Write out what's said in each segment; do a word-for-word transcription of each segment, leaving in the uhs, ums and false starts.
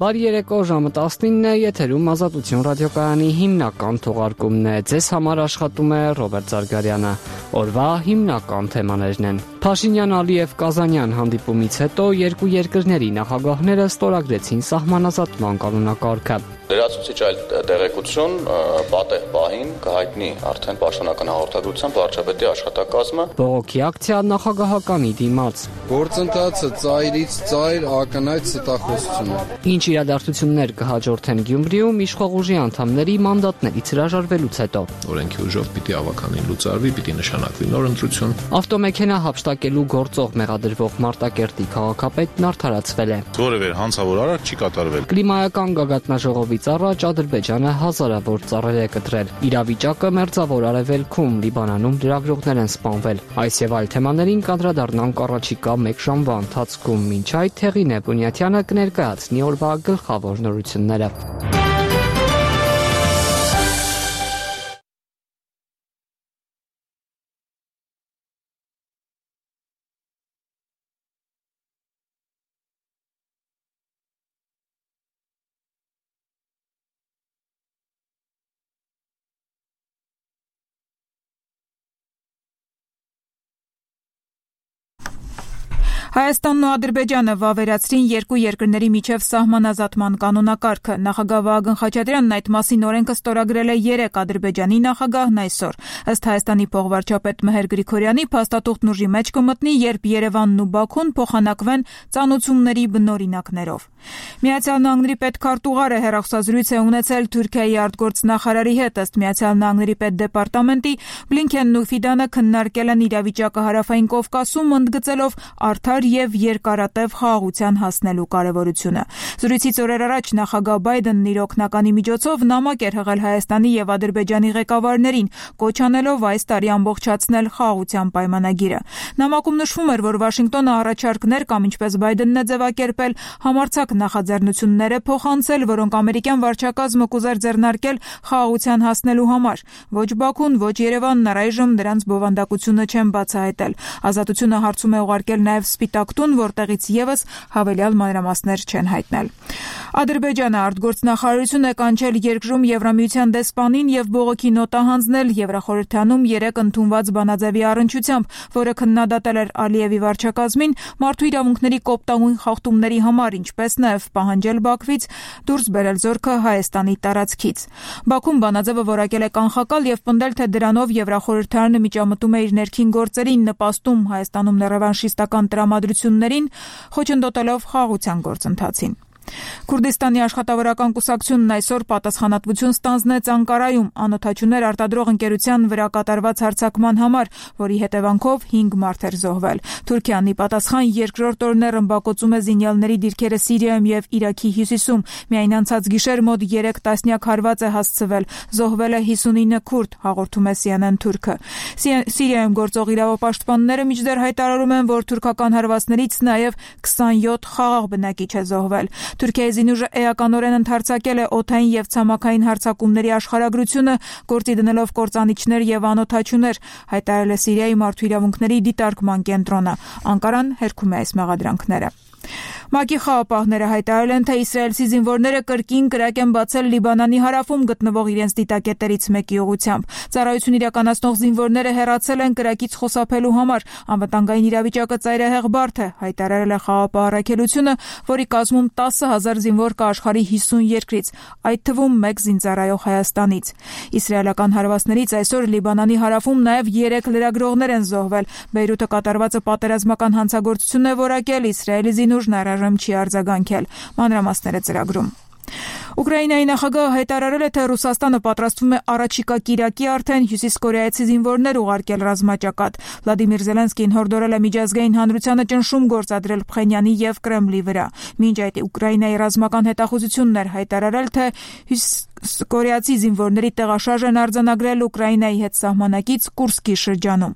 Բարի երեկո, ժամը տասնինն է, եթերում Ազատություն ռադիոկայանի հիմնական թողարկումն է։ Ձեզ համար աշխատում է Ռոբերտ Զարգարյանը։ Օրվա հիմնական թեմաներն են. Փաշինյան-Ալիև Կազանյան հանդիպումից հետո երկու երկրների նախագահները ստորագրեցին սահմանազատման կանոնակարգը։ Լրացուցիչ այլ տեղեկություն պատեհ պահին կհայտնի արդեն պաշտոնական հաղորդագրությամբ վարչապետի աշխատակազմը։ Բողոքի ակցիա նախագահականի դիմաց։ Գործընթացը ծայրից ծայր ակնհայտ ստախոսություն։ Ինչ իրադարձություններ կհաջորդեն Գյումրիում իշխող ուժի անդամների մանդատներից հրաժարվելուց հետո։ Օրենքի ուժով պիտի ավականին լուծարվի, պիտի նշանակվի նոր ընտրություն։ Ավտոմեքենա հափշտակելու գործող մեղադրվող Մարտակերտի քաղաքապետն արդարացվել է։ Որևէ հանցավոր արարք չի կատարվել։ Կլիմայական գագաթնաժողովից առաջ Ադրբեջանը հազարավոր ծառեր է կտրել։ Իրավիճակը մերձավոր արևելքում, Լիբանանում լրագրողներ են սպանվել։ Այս եւ այլ թեմաներին կանդրադառնանք առաջիկա մեկ ժամվա ընթացքում։ Մինչ այդ Թեղինե Բունյաթյանը կներկայացնի օրվա գլխավոր նորությունները։ Հայաստանն ու Ադրբեջանը վավերացրին երկու երկրների միջև սահմանազատման կանոնակարգը։ Նախագահ Վահագն Խաչատրյանն այդ մասին օրենքը ստորագրել է երեկ, Ադրբեջանի նախագահն այսօր։ Ըստ Հայաստանի փոխվարչապետ Մեհեր Գրիգորյանի, փաստաթուղթն ուժի մեջ կմտնի, երբ Երևանն ու Բաքուն փոխանակվեն ծանոթությունների բնօրինակներով։ Միացյալ Նահանգների պետքարտուղարը հեռախոսազրույց է ունեցել Թուրքիայի արտգործնախարարի հետ։ Ըստ Միացյալ Նահանգների պետդեպարտամենտի, Բլինքենն ու Ֆիդանը քննարկել են իրավիճակը Հարավային Կովկասում, ընդգծելով արդար եւ երկարատև խաղաղության հասնելու կարեւորությունը։ Զրույցից օրեր առաջ նախագահ Բայդենն իր օգնականի միջոցով նամակ էր հղել Հայաստանի եւ Ադրբեջանի ղեկավարներին, կոչ անելով այս տարի ամբողջացնել խաղաղության պայմանագիրը։ Նամակում նշվում էր, որ Վաշինգտոնը առաջարկներ կամ, ինչպես Բայդենն է ձևակերպել, համարձակ նախաձեռնություններ է փոխանցել, որոնք ամերիկյան վարչակազմը կուզեր ձեռնարկել խաղաղության հասնելու համար։ Ոչ Բաքուն, ոչ Երևանն առայժմ նրանց բովանդակությունը չեն բացահայտել։ Ազատությունը հարցում է ուղարկել նաեւ Սպիտակ տուն, որտեղից եւս հավելյալ մանրամասներ չեն հայտնել։ Ադրբեջանը արտգործնախարարություն է կանչել երկրում Եվրամիության դեսպանին եւ բողոքի նոտա հանձնել Եվրախորհրդանում երեկ ընդունված բանաձևի առնչությամբ, որը քննադատել էր Ալիևի վարչակազմին մարդու իրավունքների կոպտագույն խախտումների համար, ինչպես նաեւ պահանջել Բաքվից դուրս բերել զորքը Հայաստանի տարածքից։ Բաքուն բանաձևը որակել է կանխակալ եւ պնդել, թե դրանով Եվրախորհրդարանը միջամտում է իր ներքին գործերին, նպաստում Հայաստանում ռևանշիստական տրամադրություններին, խոչընդոտելով խաղաղության գործընթացին։ Քուրդիստանի աշխատավորական կուսակցությունն այսօր պատասխանատվություն ստանձնեց Անկարայում անօթաչուներ արտադրող ընկերության վրա կատարված հարձակման համար, որի հետևանքով հինգ մարդ էր զոհվել։ Թուրքիան ի պատասխան երկրորդ օրն է ռմբակոծում է զինյալների դիրքերը Սիրիայում եւ Իրաքի հյուսիսում։ Միայն անցած գիշեր մոտ երեք տասնյակ հարված է հասցվել։ Զոհվել է հիսունինը քուրդ, հաղորդում է C N N Թուրքը։ Սիրիայում գործող իրավապաշտպանները մինչդեռ հայտարարում են, որ թուրքական հարվածներից նաեւ քսանյոթ խաղաղ բնակիչ է զոհվել։ Թուրքիայի զինուժը էականորեն ընդհարձակել է օդային եւ ցամաքային հարձակումների աշխարհագրությունը, գործի դնելով կործանիչներ եւ անօթաչուներ, հայտարարել է Սիրիայի մարդու իրավունքների դիտարկման կենտրոնը։ Անկարան հերքում է այս մեղադրանքները։ ՄԱԿ-ի խաղապահները հայտարարել են, թե իսրայելցի զինվորները կրկին կրակ են բացել Լիբանանի հարավում գտնվող իրենց դիտակետերից մեկի ուղղությամբ։ Ծառայություն իրականացնող զինվորները հեռացել են կրակից խուսափելու համար։ Անվտանգային իրավիճակը ծայրահեղ բարդ է, հայտարարել է խաղապահ առաքելությունը, որի կազմում տասը հազար զինվոր կա աշխարհի հիսուն երկրից, այդ թվում մեկ զինծառայող Հայաստանից։ Իսրայելական հարվածներից այսօր Լիբանանի հարավում նաև երեք լրագրողներ են զոհվել։ Բեյրութը կատարվածը պատերազմական հանցագործություն է որակել, Իսրայելի զինուժն առայժմ չի արձագանքել։ Մանրամասները ծրագրում։ Ուկրաինայի նախագահը հայտարարել է, թե Ռուսաստանը պատրաստվում է առաջիկա կիրակի արդեն հյուսիսկորեայցի զինվորներ ուղարկել ռազմաճակատ։ Վլադիմիր Զելենսկին հորդորել է միջազգային հանրությանը ճնշում գործադրել Փխենյանի եւ Կրեմլի վրա։ Մինչ այդ Ուկրաինայի ռազմական հետախուզությունն էր հայտարարել, թե կորեացի զինվորների տեղաշարժ են արձանագրել Ուկրաինայի հետ սահմանակից Կուրսկի շրջանում։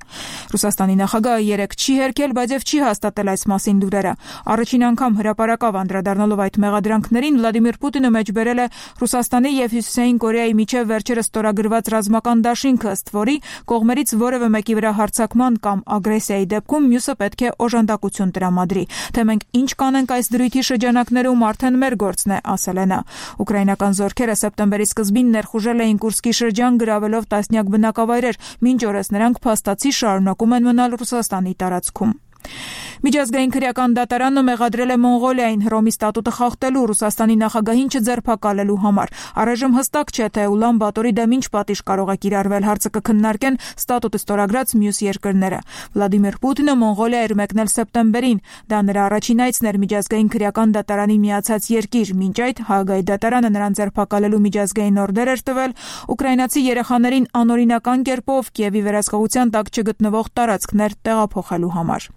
Ռուսաստանի նախագահը երեկ չի հերքել, բայց եւ չի հաստատել այս մասին լուրերը։ Առաջին անգամ հրապարակավ անդրադառնալով այդ մեղադրանքներին Վլադիմիր Պուտինը մեջբերել է Ռուսաստանի եւ Հյուսիսային Կորեայի միջև վերջերս ստորագրված ռազմական դաշինքը, ըստ որի կողմերից որևէ մեկի վրա հարձակման կամ ագրեսիայի դեպքում մյուսը պետք է օժանդակություն տրամադրի։ Թե մենք ինչ կանենք այս դրույթի շրջանակներում արդեն մեր գործն է, ասել է նա։ Ուկրաինական զորքերը սեպտեմբերի սկզբին ներխուժել էին Կուրսկի շրջան, գրավելով տասնյակ բնակավայրեր, մինչ օրս նրանք փաստացի շարունակում են մնալ Ռուսաստանի տարածքում։ Միջազգային քրեական դատարանը մեղադրել է Մոնղոլիային Հռոմի ստատուտը խախտելու, Ռուսաստանի նախագահին չձերբակալելու համար։ Առայժմ հստակ չէ, թե Ուլան Բաթորի դեմ ինչ պատիժ կարող է կիրառվել, հարցը կքննարկեն ստատուտը ստորագրած մյուս երկրները։ Վլադիմիր Պուտինը Մոնղոլիա էր մեկնել սեպտեմբերին։ Դա նրա առաջին այցն էր միջազգային քրեական դատարանի միացած երկիր։ Մինչ այդ Հաագայի դատարանը նրան ձերբակալելու միջազգային օրդեր էր տվել ուկրաինացի երեխաներին անօրինական կերպով Կիևի վերահսկողության տակ չգտնվող տարածքներ տեղափոխելու համար։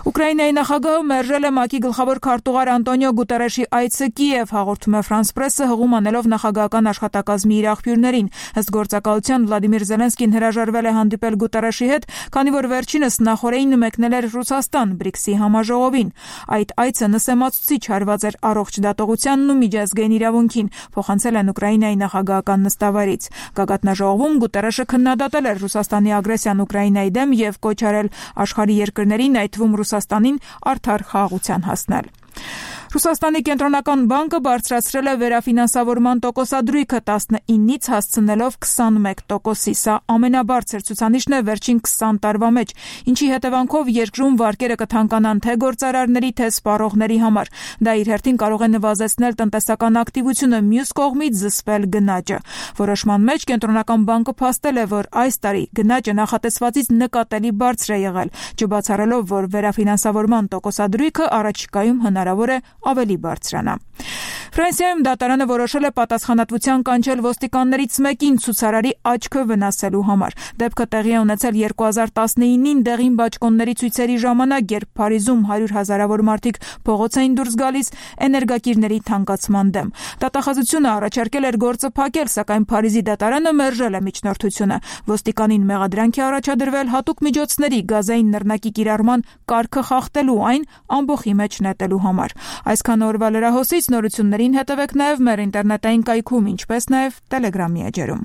Ուկրաինայի նախագահը մերժել է ՄԱԿ-ի գլխավոր քարտուղար Անտոնիո Գուտերեշի այցը Կիև, հաղորդում է Ֆրանս Պրեսը, հղում անելով նախագահական աշխատակազմի իր աղբյուրներին։ Ըստ գործակալության Վլադիմիր Զելենսկին հրաժարվել է հանդիպել Գուտերեշի հետ, քանի որ վերջինս նախորդին մեկնել էր Ռուսաստան բրիքսի համաժողովին։ Այդ այցը նսեմացուցիչ հարված էր առողջ դատողությանն ու միջազգային իրավունքին, փոխանցել են Ուկրաինայի նախագահական նստավայրից։ Գագաթնաժողովում Գուտերեշը քննադատել էր Ռուսաստանի ագրեսիան Ուկրաինայի դեմ եւ կոչ արել աշխարհի երկրներին, այդ թվում Ռուսաստանին, արդար խաղաղության հասնել։ Ռուսաստանի կենտրոնական բանկը բարձրացրել է վերաֆինանսավորման տոկոսադրույքը տասնինից հասցնելով քսանմեկ տոկոսի։ Սա ամենաբարձր ցուցանիշն է վերջին քսան տարվա մեջ, ինչի հետևանքով երկրում վարկերը կթանկանան թե գործարարների, թե սպառողների համար։ Դա իր հերթին կարող է նվազեցնել տնտեսական ակտիվությունը, մյուս կողմից զսպել գնաճը։ Որոշման մեջ կենտրոնական բանկը փաստել է, որ այս տարի գնաճը նախատեսվածից նկատելի բարձր է եղել, չբացառելով, որ վերաֆինանսավորման տոկոսադրույքը առաջիկայում հնարավոր է ավելի բարձրանա։ Ֆրանսիայում դատարանը որոշել է պատասխանատվության կանչել ոստիկաններից մեկին ցուցարարի աչքը վնասելու համար։ Դեպքը տեղի է ունեցել երկու հազար տասնինին դեղին բաճկոնների ցույցերի ժամանակ, երբ Փարիզում հարյուր հազարավոր մարդիկ փողոց էին դուրս գալիս էներգակիրների թանկացման դեմ։ Դատախազությունը առաջարկել էր գործը փակել, սակայն Փարիզի դատարանը մերժել է միջնորդությունը։ Ոստիկանին մեղադրանք է առաջադրվել հատուկ միջոցների գազային նռնակի կիրառման կարգը խախտելու, այն ամբոխի մեջ նետելու համար։ Այսքան օրվա լրահոսից նորություններին հետևեք նաև մեր ինտերնետային կայքում, ինչպես նաև Telegram-ի էջերում։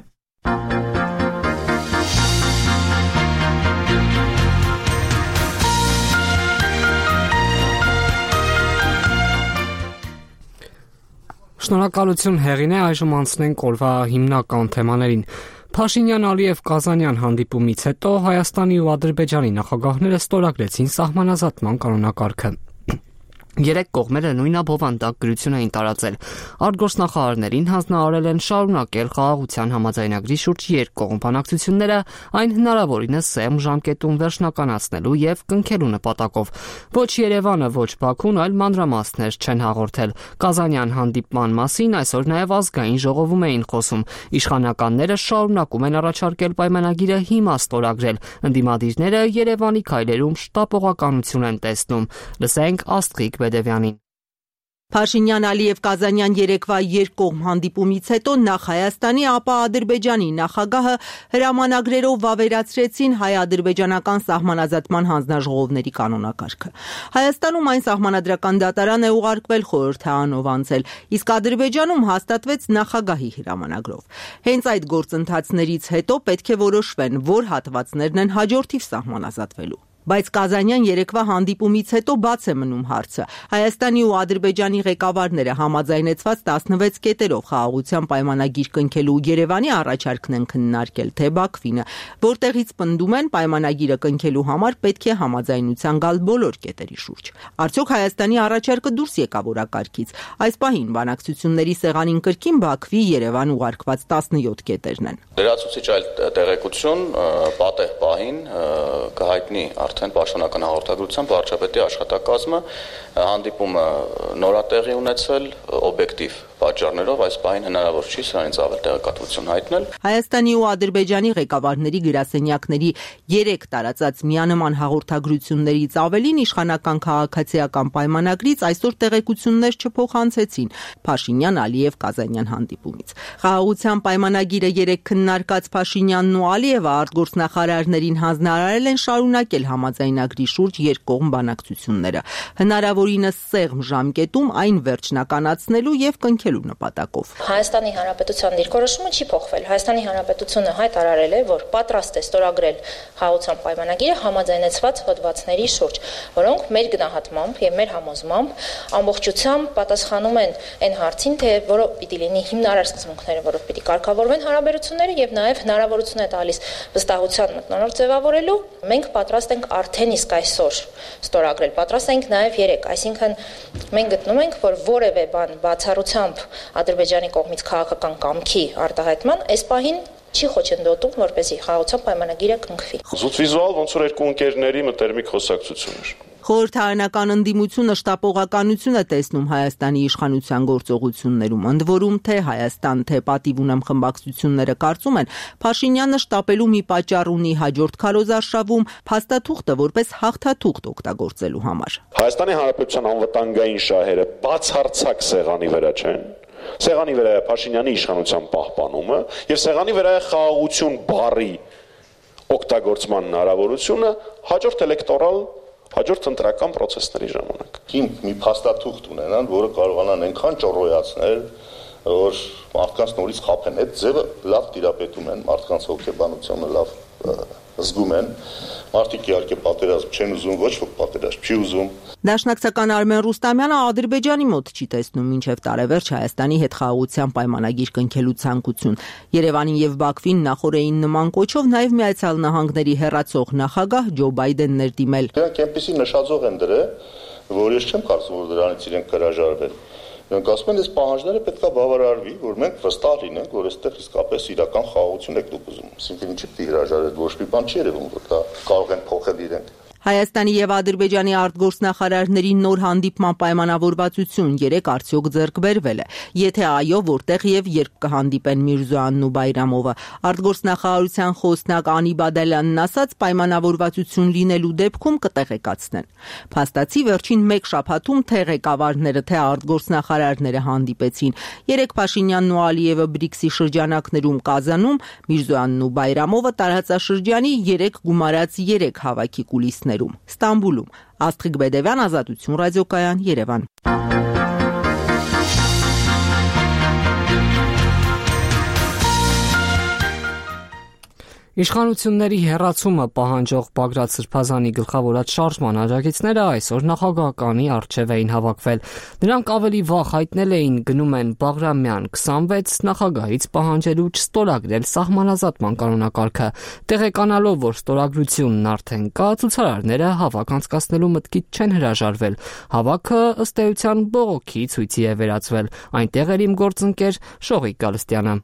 Շնորհակալություն Հեղինե, այժմ անցնենք օրվա հիմնական թեմաներին։ Փաշինյան-Ալիև-Կազանյան հանդիպումից հետո Հայաստանի ու Ադրբեջանի նախագահները ստորագրեցին սահմանազատման կանոնակարգը։ Երեք կողմերը նույն աբովանդակ գրություն էին տարածել։ Արտգործնախարարներին հանձնարարել են շարունակել խաղաղության համաձայնագրի շուրջ երկկողմ բանակցությունները այն հնարավորինս սեմ ժամկետում վերջնականացնելու եւ կնքելու նպատակով։ Ոչ Երևանը, ոչ Բաքուն, այլ մանրամասներ չեն հաղորդել։ Կազանյան հանդիպման մասին այսօր նաեւ ազգային ժողովում էին խոսում։ Իշխանականները շարունակում են առաջարկել պայմանագիրը հիմա ստորագրել։ Ընդդիմադիրները Երևանի քայլերում շտապողականություն են տեսնում։ Լսենք Աստղիկ Բեդևյանին։ Փաշինյան-Ալիև-Կազանյան երեկվա երկկողմ հանդիպումից հետո նախ Հայաստանի, ապա Ադրբեջանի նախագահը հրամանագրերով վավերացրեցին հայ-ադրբեջանական սահմանազատման հանձնաժողովների կանոնակարգը։ Հայաստանում այն սահմանադրական դատարան է ուղարկվել խորհրդարանով անցել, իսկ Ադրբեջանում հաստատվեց նախագահի հրամանագրով։ Հենց այդ գործընթացներից հետո պետք է որոշվեն, որ հատվածներն են հաջորդիվ սահմանազատվելու։ Բայց Կազանյան երեկվա հանդիպումից հետո բաց է մնում հարցը։ Հայաստանի ու Ադրբեջանի ղեկավարները համաձայնեցված տասնվեց կետերով խաղաղության պայմանագիր կնքելու Երևանի առաջարկն են քննարկել, թե Բաքվինը, որտեղից պնդում են պայմանագիրը կնքելու համար պետք է համաձայնության գալ բոլոր կետերի շուրջ։ Արդյոք Հայաստանի առաջարկը դուրս եկավ օրակարգից։ Այս պահին բանակցությունների սեղանին կրկին Բաքվի Երևան ուղարկված տասնյոթ կետերն են։ Լրացուցիչ այլ տեղեկություն պատեհ պահին կհայտնի արդեն պաշտոնական հաղորդագրությամբ վարչապետի աշխատակազմը հանդիպումը նորատեղի ունեցել օբյեկտիվ պատճառներով այս պահին հնարավոր չի սրանից ավել տեղեկատվություն հայտնել։ Հայաստանի ու Ադրբեջանի ղեկավարների գրասենյակների երեք տարածած միանման հաղորդագրություններից ավելին իշխանական քաղաքացիական պայմանագրից այսօր տեղեկություններ չփոխանցեցին Փաշինյան-Ալիև-Կազանյան հանդիպումից։ Խաղաղության պայմանագիրը երեք քննարկած Փաշինյանն ու Ալիևը արտգործնախարարներին հանձնարարել են շարունակել համաձայնագրի շուրջ երկկողմ բանակցությունները, հնարավորինս սեղմ ժամկետում այն վերջնականացնելու եւ կնքելու նպատակով։ Հայաստանի Հանրապետության դիրքորոշումը չի փոխվել։ Հայաստանի Հանրապետությունը հայտարարել է, որ պատրաստ է ստորագրել խաղաղության պայմանագիրը համաձայնեցված հոդվածների շուրջ, որոնք մեր գնահատմամբ եւ մեր համոզմամբ ամբողջությամբ պատասխանում են այն հարցին, թե որով պիտի լինի հիմնարար սկզբունքները, որով պիտի կարգավորվեն հարաբերությունները եւ նաեւ հնարավորություն է տալիս վստահության մթնոլորտ ձևավորելու։ Մենք պատրաստ ենք արդեն իսկ այսօր ստորագրել, պատրաստ ենք նաեւ երեք, այսինքն մենք գտնում ենք, որ որևէ բան բացառությամբ Ադրբեջանի կողմից քաղաքական կամքի արտահայտման այս պահին չի խոչընդոտում, որպեսզի խաղաղության պայմանագիրը կնքվի։ Զուտ վիզուալ ոնց որ երկու ընկերների մտերմիկ խոսակցություն էր։ Խորհրդարանական ընդդիմությունը շտապողականություն է տեսնում Հայաստանի իշխանության գործողություններում, ընդ որում թե Հայաստան, թե պատիվ ունեմ խմբակցությունները կարծում են, Փաշինյանը շտապելու մի պատճառ ունի հաջորդ քարոզարշավում փաստաթուղթը որպես հաղթաթուղթ օգտագործելու համար։ Հայաստանի Հանրապետության անվտանգային շահերը բացարձակ սեղանի վրա չեն։ Սեղանի վրա է Փաշինյանի իշխանության պահպանումը եւ սեղանի վրա է խաղաղություն բառի օգտագործման հնարավորությունը հաջորդ էլեկտորալ հաջորդ ընտրական process-ների ժամանակ։ Հիմք մի փաստաթուղթ ունենան, որը կարողանան այնքան ճոռոյացնել, որ մարդկանց նորից խափեն։ Այդ ձևը լավ տիրապետում են, մարդկանց հոգեբանությունը լավ զգում են։ Մարդիկ իհարկե պատերազմ չեն ուզում, ոչ ոք պատերազմ չի ուզում։ Դաշնակցական Արմեն Ռուստամյանը Ադրբեջանի մոտ չի տեսնում մինչև տարեվերջ Հայաստանի հետ խաղաղության պայմանագիր կնքելու ցանկություն։ Երևանին եւ Բաքվին նախորդային նման կոչով նաեւ Միացյալ Նահանգների հեռացող նախագահ Ջո Բայդենն էր դիմել։ Նրանք այնպեսի նշաձող են դրել, որ ես չեմ կարծում, որ դրանից իրենք հրաժարվեն։ Նրանք ասում են, այս պահանջները պետք է բավարարվի, որ մենք վստահ լինենք, որ այստեղ իսկապես իրական խաղաղություն եք դուք ուզում։ Այսինքն ինչի՞ պիտի հրաժարվեք, ոչ մի բան չի երևում, որ դա կարող են փոխել իրենք։ Հայաստանի եւ Ադրբեջանի արտգործնախարարների նոր հանդիպման պայմանավորվածություն երեք արդյոք ձեռք բերվել է։ Եթե այո, որտեղ եւ երբ կհանդիպեն Միրզոյանն ու Բայրամովը։ Արտգործնախարարության խոսնակ Անի Բադալյանն ասաց, պայմանավորվածություն լինելու դեպքում կտեղեկացնեն։ Փաստացի վերջին մեկ շաբաթում թե ղեկավարները, թե արտգործնախարարները հանդիպեցին։ Երեք Փաշինյանն ու Ալիևը բրիքսի շրջանակներում Կազանում, Միրզոյանն ու Բայրամովը տարածաշրջանի երեք գումարած երեք հավաքի կուլիսներ Ստամբուլում։ Աստղիկ Բեդևյան, Ազատություն ռադիոկայան, Երևան։ Իշխանությունների հեռացումը պահանջող Բագրատ Սրբազանի գլխավորած շարժման աջակիցները այսօր նախագահականի առջև էին հավաքվել։ Նրանք ավելի վաղ հայտնել էին գնում են Բաղրամյան քսանվեց նախագահից պահանջելու չստորագրել սահմանազատման կանոնակարգը։ Տեղեկանալով, որ ստորագրությունն արդեն կա, ցուցարարները հավաք անցկացնելու մտքից չեն հրաժարվել։ Հավաքը ըստ էության բողոքի ցույցի է վերածվել։ Այնտեղ էր իմ գործընկեր Շողիկ Գալստյանը։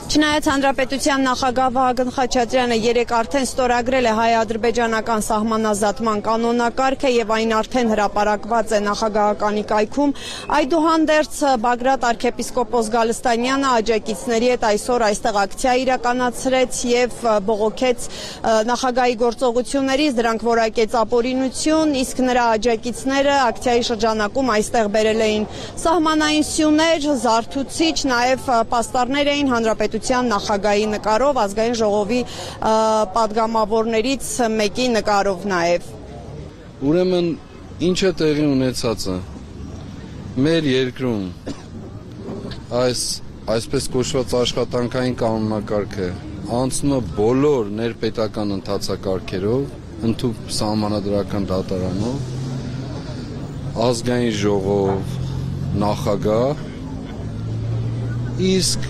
Չնայած Հանրապետության նախագահ Վահագն Խաչատրյանը երեկ արդեն ստորագրել է հայ-ադրբեջանական սահմանազատման կանոնակարգը եւ այն արդեն հրապարակված է նախագահականի կայքում, այդուհանդերձ Բագրատ arczepiskopos Գալստանյանը աջակիցների հետ այսօր այստեղ ակցիա իրականացրեց եւ բողոքեց նախագահի գործողություններից, դրանք որակեց ապօրինություն, իսկ նրա աջակիցները ակցիայի շրջանակում այստեղ բերել էին սահմանային սյուներ, զարթուցիչ, նաեւ պաստառներ էին Հանրապետության նախագահի նկարով, ազգային ժողովի падգամավորներից մեկի նկարով նաև։ Ուրեմն ինչ է տեղի ունեցածը։ Մեր երկրում այս այսպես կոչված աշխատանքային կանոնակարգը անցնում է բոլոր ներպետական ընթացակարգերով, ընդհանուր սահմանադրական դատարանով, ազգային ժողով, նախագահ, իսկ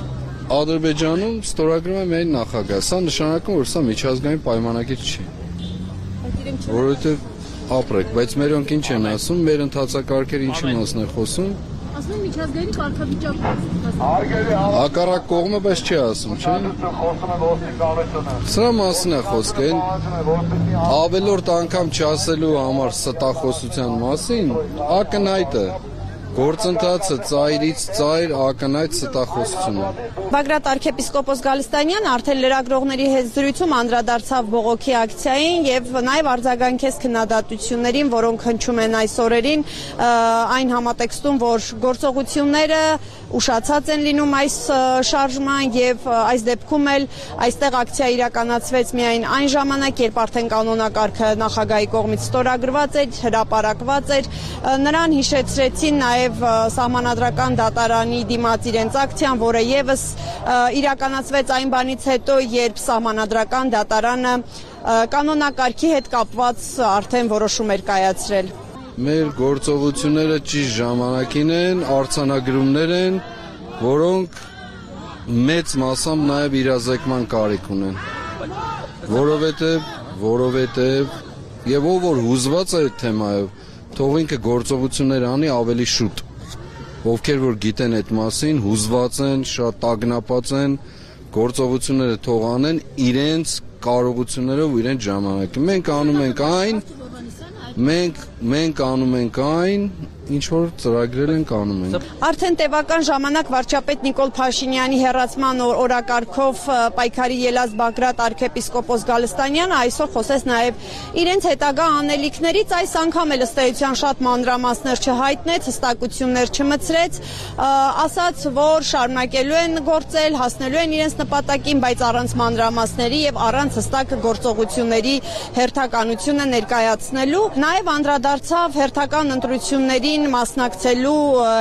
Ադրբեջանում ստորագրում է միայն նախագահ։ Սա նշանակում որ սա միջազգային պայմանագիր չի։ Որովհետև ապրեք, բայց մերոնք ինչ են ասում, մեր ընթացակարգերը ինչի մասն է խոսում։ Ասում են միջազգային կարգավիճակը։ Հակառակ կողմը պես չի ասում, չէ՞։ Սրա մասին է խոսքը, ավելորդ անգամ չասելու համար ստախոսության մասին, ակնհայտ է։ Գործընթացը ծայրից ծայր ակնհայտ ստախոսություն է։ Բագրատ arczepiskopos Գալստանյան արդեն լրագրողների հետ զրույցում անդրադարձավ բողոքի ակցիային եւ նաեւ արձագանքեց քննադատություններին, որոնք հնչում են այս օրերին, այն համատեքստում, որ գործողությունները ուշացած են լինում այս շարժման եւ այս դեպքում էլ այստեղ ակցիա իրականացվեց միայն այն ժամանակ, երբ արդեն կանոնակարգը նախագահի կողմից ստորագրված էր, հրապարակված էր, նրան հիշեցրեցին նաեւ սահմանադրական դատարանի դիմաց իրենց ակցիան, որը եւս իրականացվեց այն բանից հետո, երբ սահմանադրական դատարանը կանոնակարգի հետ կապված արդեն որոշում էր կայացրել։ Մեր գործողությունները ճիշտ ժամանակին են, արձանագրումներ են, որոնք մեծ մասամբ նաև իրազեկման կարիք ունեն։ Որովհետև, որովհետև եւ ով որ հուզված է այդ թեմայով, թող ինքը գործողություններ անի ավելի շուտ։ Ովքեր որ գիտեն այդ մասին, հուզված են, շատ տագնապած են, գործողությունները թող անեն իրենց կարողություններով ու իրենց ժամանակին։ Մենք անում ենք այն, Մենք մենք անում ենք այն, ինչ որ ծրագրել ենք անում ենք։ Արդեն տևական ժամանակ վարչապետ Նիկոլ Փաշինյանի հերացման օրակարգով պայքարի ելած Բագրատ arczepiskopos Գալստանյանը այսօր խոսեց նաև իրենց հետագա անելիքներից, այս անգամ էլ ըստ էության շատ մանրամասներ չհայտնեց, հստակություններ չմցրեց, ասաց, որ շարունակելու են գործել, հասնելու են իրենց նպատակին, բայց առանց մանրամասների եւ առանց հստակ գործողությունների հերթականությունը ներկայացնելու։ Նաև անդրադարձավ հերթական ընտրություններին մասնակցելու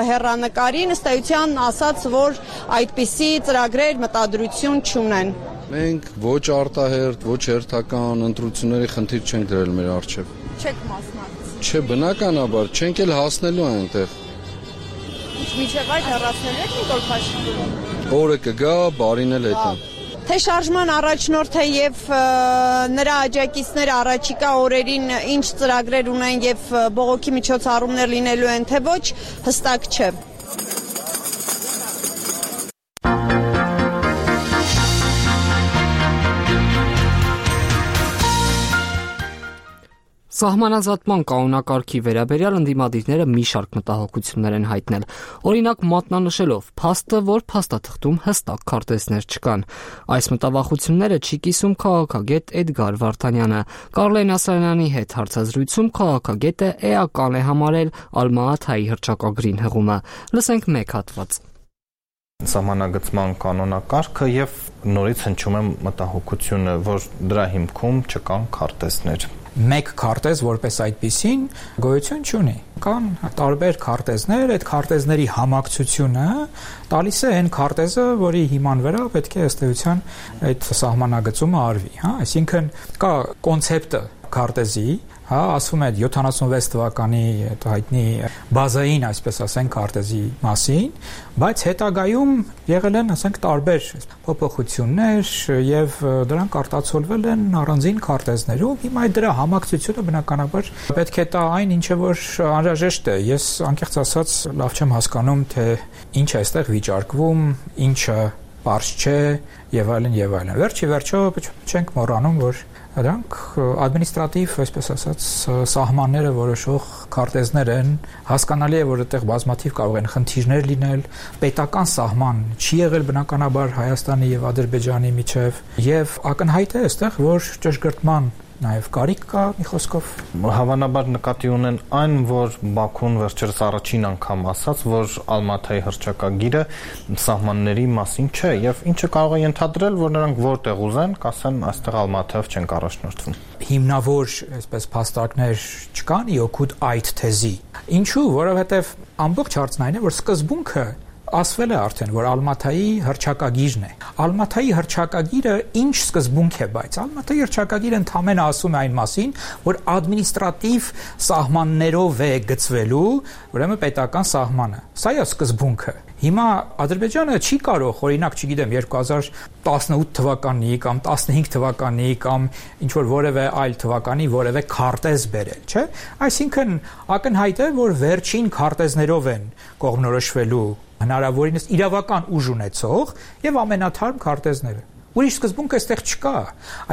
հեռանկարին, ըստ էության ասաց, որ այդպիսի ծրագրեր մտադրություն չունեն։ Մենք ոչ արտահերթ, ոչ հերթական ընտրությունների խնդիր չենք դրել մեր առջև։ Չեք մասնակցել։ Չէ, բնականաբար, չենք էլ հասնելու այնտեղ։ Մինչև այդ հեռացնելու եք Նիկոլ Փաշինյանը։ Օրը կգա, բարին էլ հետո։ Թե շարժման առաջնորդը եւ նրա աջակիցները առաջիկա օրերին ինչ ծրագրեր ունեն եւ բողոքի միջոցառումներ լինելու են, թե ոչ, հստակ չէ։ Սահմանազատման կանոնակարգի վերաբերյալ ընդդիմադիրները մի շարք մտահոգություններ են հայտնել։ Օրինակ մատնանշելով փաստը, որ փաստաթղթում հստակ քարտեզներ չկան։ Այս մտավախությունները չի կիսում քաղաքագետ Էդգար Վարդանյանը։ Կարլեն Ասլանյանի հետ հարցազրույցում քաղաքագետը էական է համարել Ալմա-Աթայի հռչակագրին հղումը։ Լսենք մեկ հատված։ Սահմանագծման կանոնակարգը եւ նորից հնչում է մտահոգությունը, որ դրա հիմքում չկան քարտեզներ։ Մեկ քարտեզ որպես այդպիսին գոյություն չունի։ Կան տարբեր քարտեզներ, այդ քարտեզների համակցությունը տալիս է այն քարտեզը, որի հիման վրա պետք է ըստ էության այդ սահմանագծումը արվի, հա, այսինքն կա կոնցեպտը քարտեզի, հա, ասվում է յոթանասունվեց թվականի այդ հայտնի բազային, այսպես ասենք, քարտեզի մասին, բայց հետագայում եղել են, ասենք, տարբեր փոփոխություններ եւ դրանք արտացոլվել են առանձին քարտեզներում։ Հիմա այդ դրա համակցությունը բնականաբար պետք է տա այն, ինչը որ անհրաժեշտ է։ Ես անկեղծ ասած լավ չեմ հասկանում, թե ինչ է այստեղ վիճարկվում, ինչը պարզ չէ եւ այլն եւ այլն։ Վերջի վերջո չենք մոռանում, որ դրանք ադմինիստրատիվ, այսպես ասած, սահմանները որոշող քարտեզներ են, հասկանալի է, որ այդտեղ բազմաթիվ կարող են խնդիրներ լինել, պետական սահման չի եղել բնականաբար Հայաստանի եւ Ադրբեջանի միջև, եւ ակնհայտ է այստեղ, որ ճշգրտման նաև կարիք կա, մի խոսքով։ Հավանաբար նկատի ունեն այն, որ Բաքուն վերջերս առաջին անգամ ասաց, որ Ալմա-Աթայի հռչակագիրը սահմանների մասին չէ, եւ ինչը կարող է ենթադրել, որ նրանք որտեղ ուզեն, կասեն, այստեղ Ալմա-Աթայով չեն առաջնորդվում։ Հիմնավոր, այսպես, փաստարկներ չկան ի օգուտ այդ թեզի։ Ինչու՞, որովհետեւ ամբողջ հարցն այն է, որ սկզբունքը ասվել է արդեն, որ Ալմաթայի հռչակագիրն է։ Ալմաթայի հռչակագիրը ինչ սկզբունք է, բայց Ալմաթայի հռչակագիրը ընդհանրապես ասում է այն մասին, որ ադմինիստրատիվ սահմաններով է գծվելու, ուրեմն պետական սահմանը։ Սա է սկզբունքը։ Հիմա Ադրբեջանը չի կարող, օրինակ, չգիտեմ, երկու հազար տասնութ թվականի կամ տասնհինգ թվականի կամ ինչ որ որևէ այլ թվականի որևէ քարտեզ բերել, չէ՞։ Այսինքն ակնհայտ է, որ վերջին քարտեզներով են կողմնորոշվելու հնարավորինս իրավական ուժ ունեցող եւ ամենաթարմ քարտեզները։ Ուրիշ սկզբունք այստեղ չկա,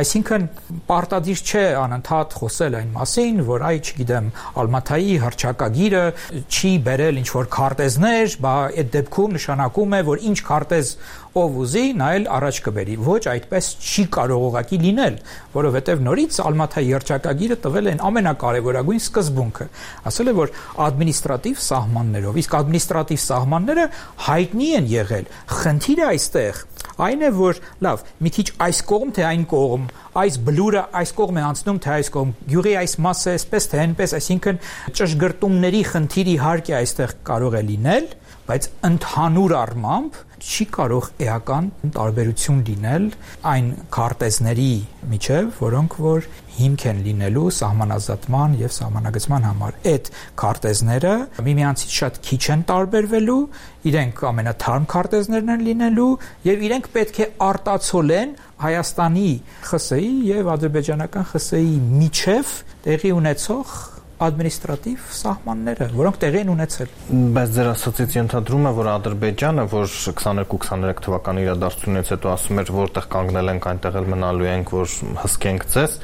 այսինքն պարտադիր չէ անընդհատ խոսել այն մասին, որ այ, չգիտեմ, Ալմաթայի հռչակագիրը չի բերել ինչ-որ քարտեզներ, բա այդ դեպքում նշանակում է, որ ինչ քարտեզ ով ուզի, նա էլ առաջ կբերի։ Ոչ, այդպես չի կարող ուղղակի լինել, որովհետև նորից Ալմաթայի հռչակագիրը տվել են ամենակարևորագույն սկզբունքը։ Ասել է, որ ադմինիստրատիվ սահմաններով, իսկ ադմինիստրատիվ սահմանները հայտնի են եղել։ Խնդիրը այստեղ այն է, որ լավ, մի քիչ այս կողմ թե այն կողմ, այս բլուրը այս կողմ է անցնում թե այս կողմ, գյուղի այս մասը էսպես թե այնպես, այսինքն ճշգրտումների խնդիր իհարկե այստեղ կարող է լինել, բայց ընդհանուր առմամբ չի կարող էական տարբերություն լինել այն քարտեզների միջև, որոնք որ հիմք են լինելու սահմանազատման եւ սահմանագծման համար։ Այդ քարտեզները միմյանցից շատ քիչ են տարբերվելու, իրենք ամենաթարմ քարտեզներն են լինելու եւ իրենք պետք է արտացոլեն Հայաստանի ԽՍՀ-ի եւ ադրբեջանական ԽՍՀ-ի միջև տեղի ունեցող ադմինիստրատիվ սահմանները, որոնք տեղի են ունեցել։ Բայց ձեր ասացից ենթադրում է, որ Ադրբեջանը, որ քսաներկու քսաներեք թվականի իրադարձությունից հետո ասում էր, որտեղ կանգնել ենք, այնտեղ էլ մնալու ենք, որ հսկենք ձեզ,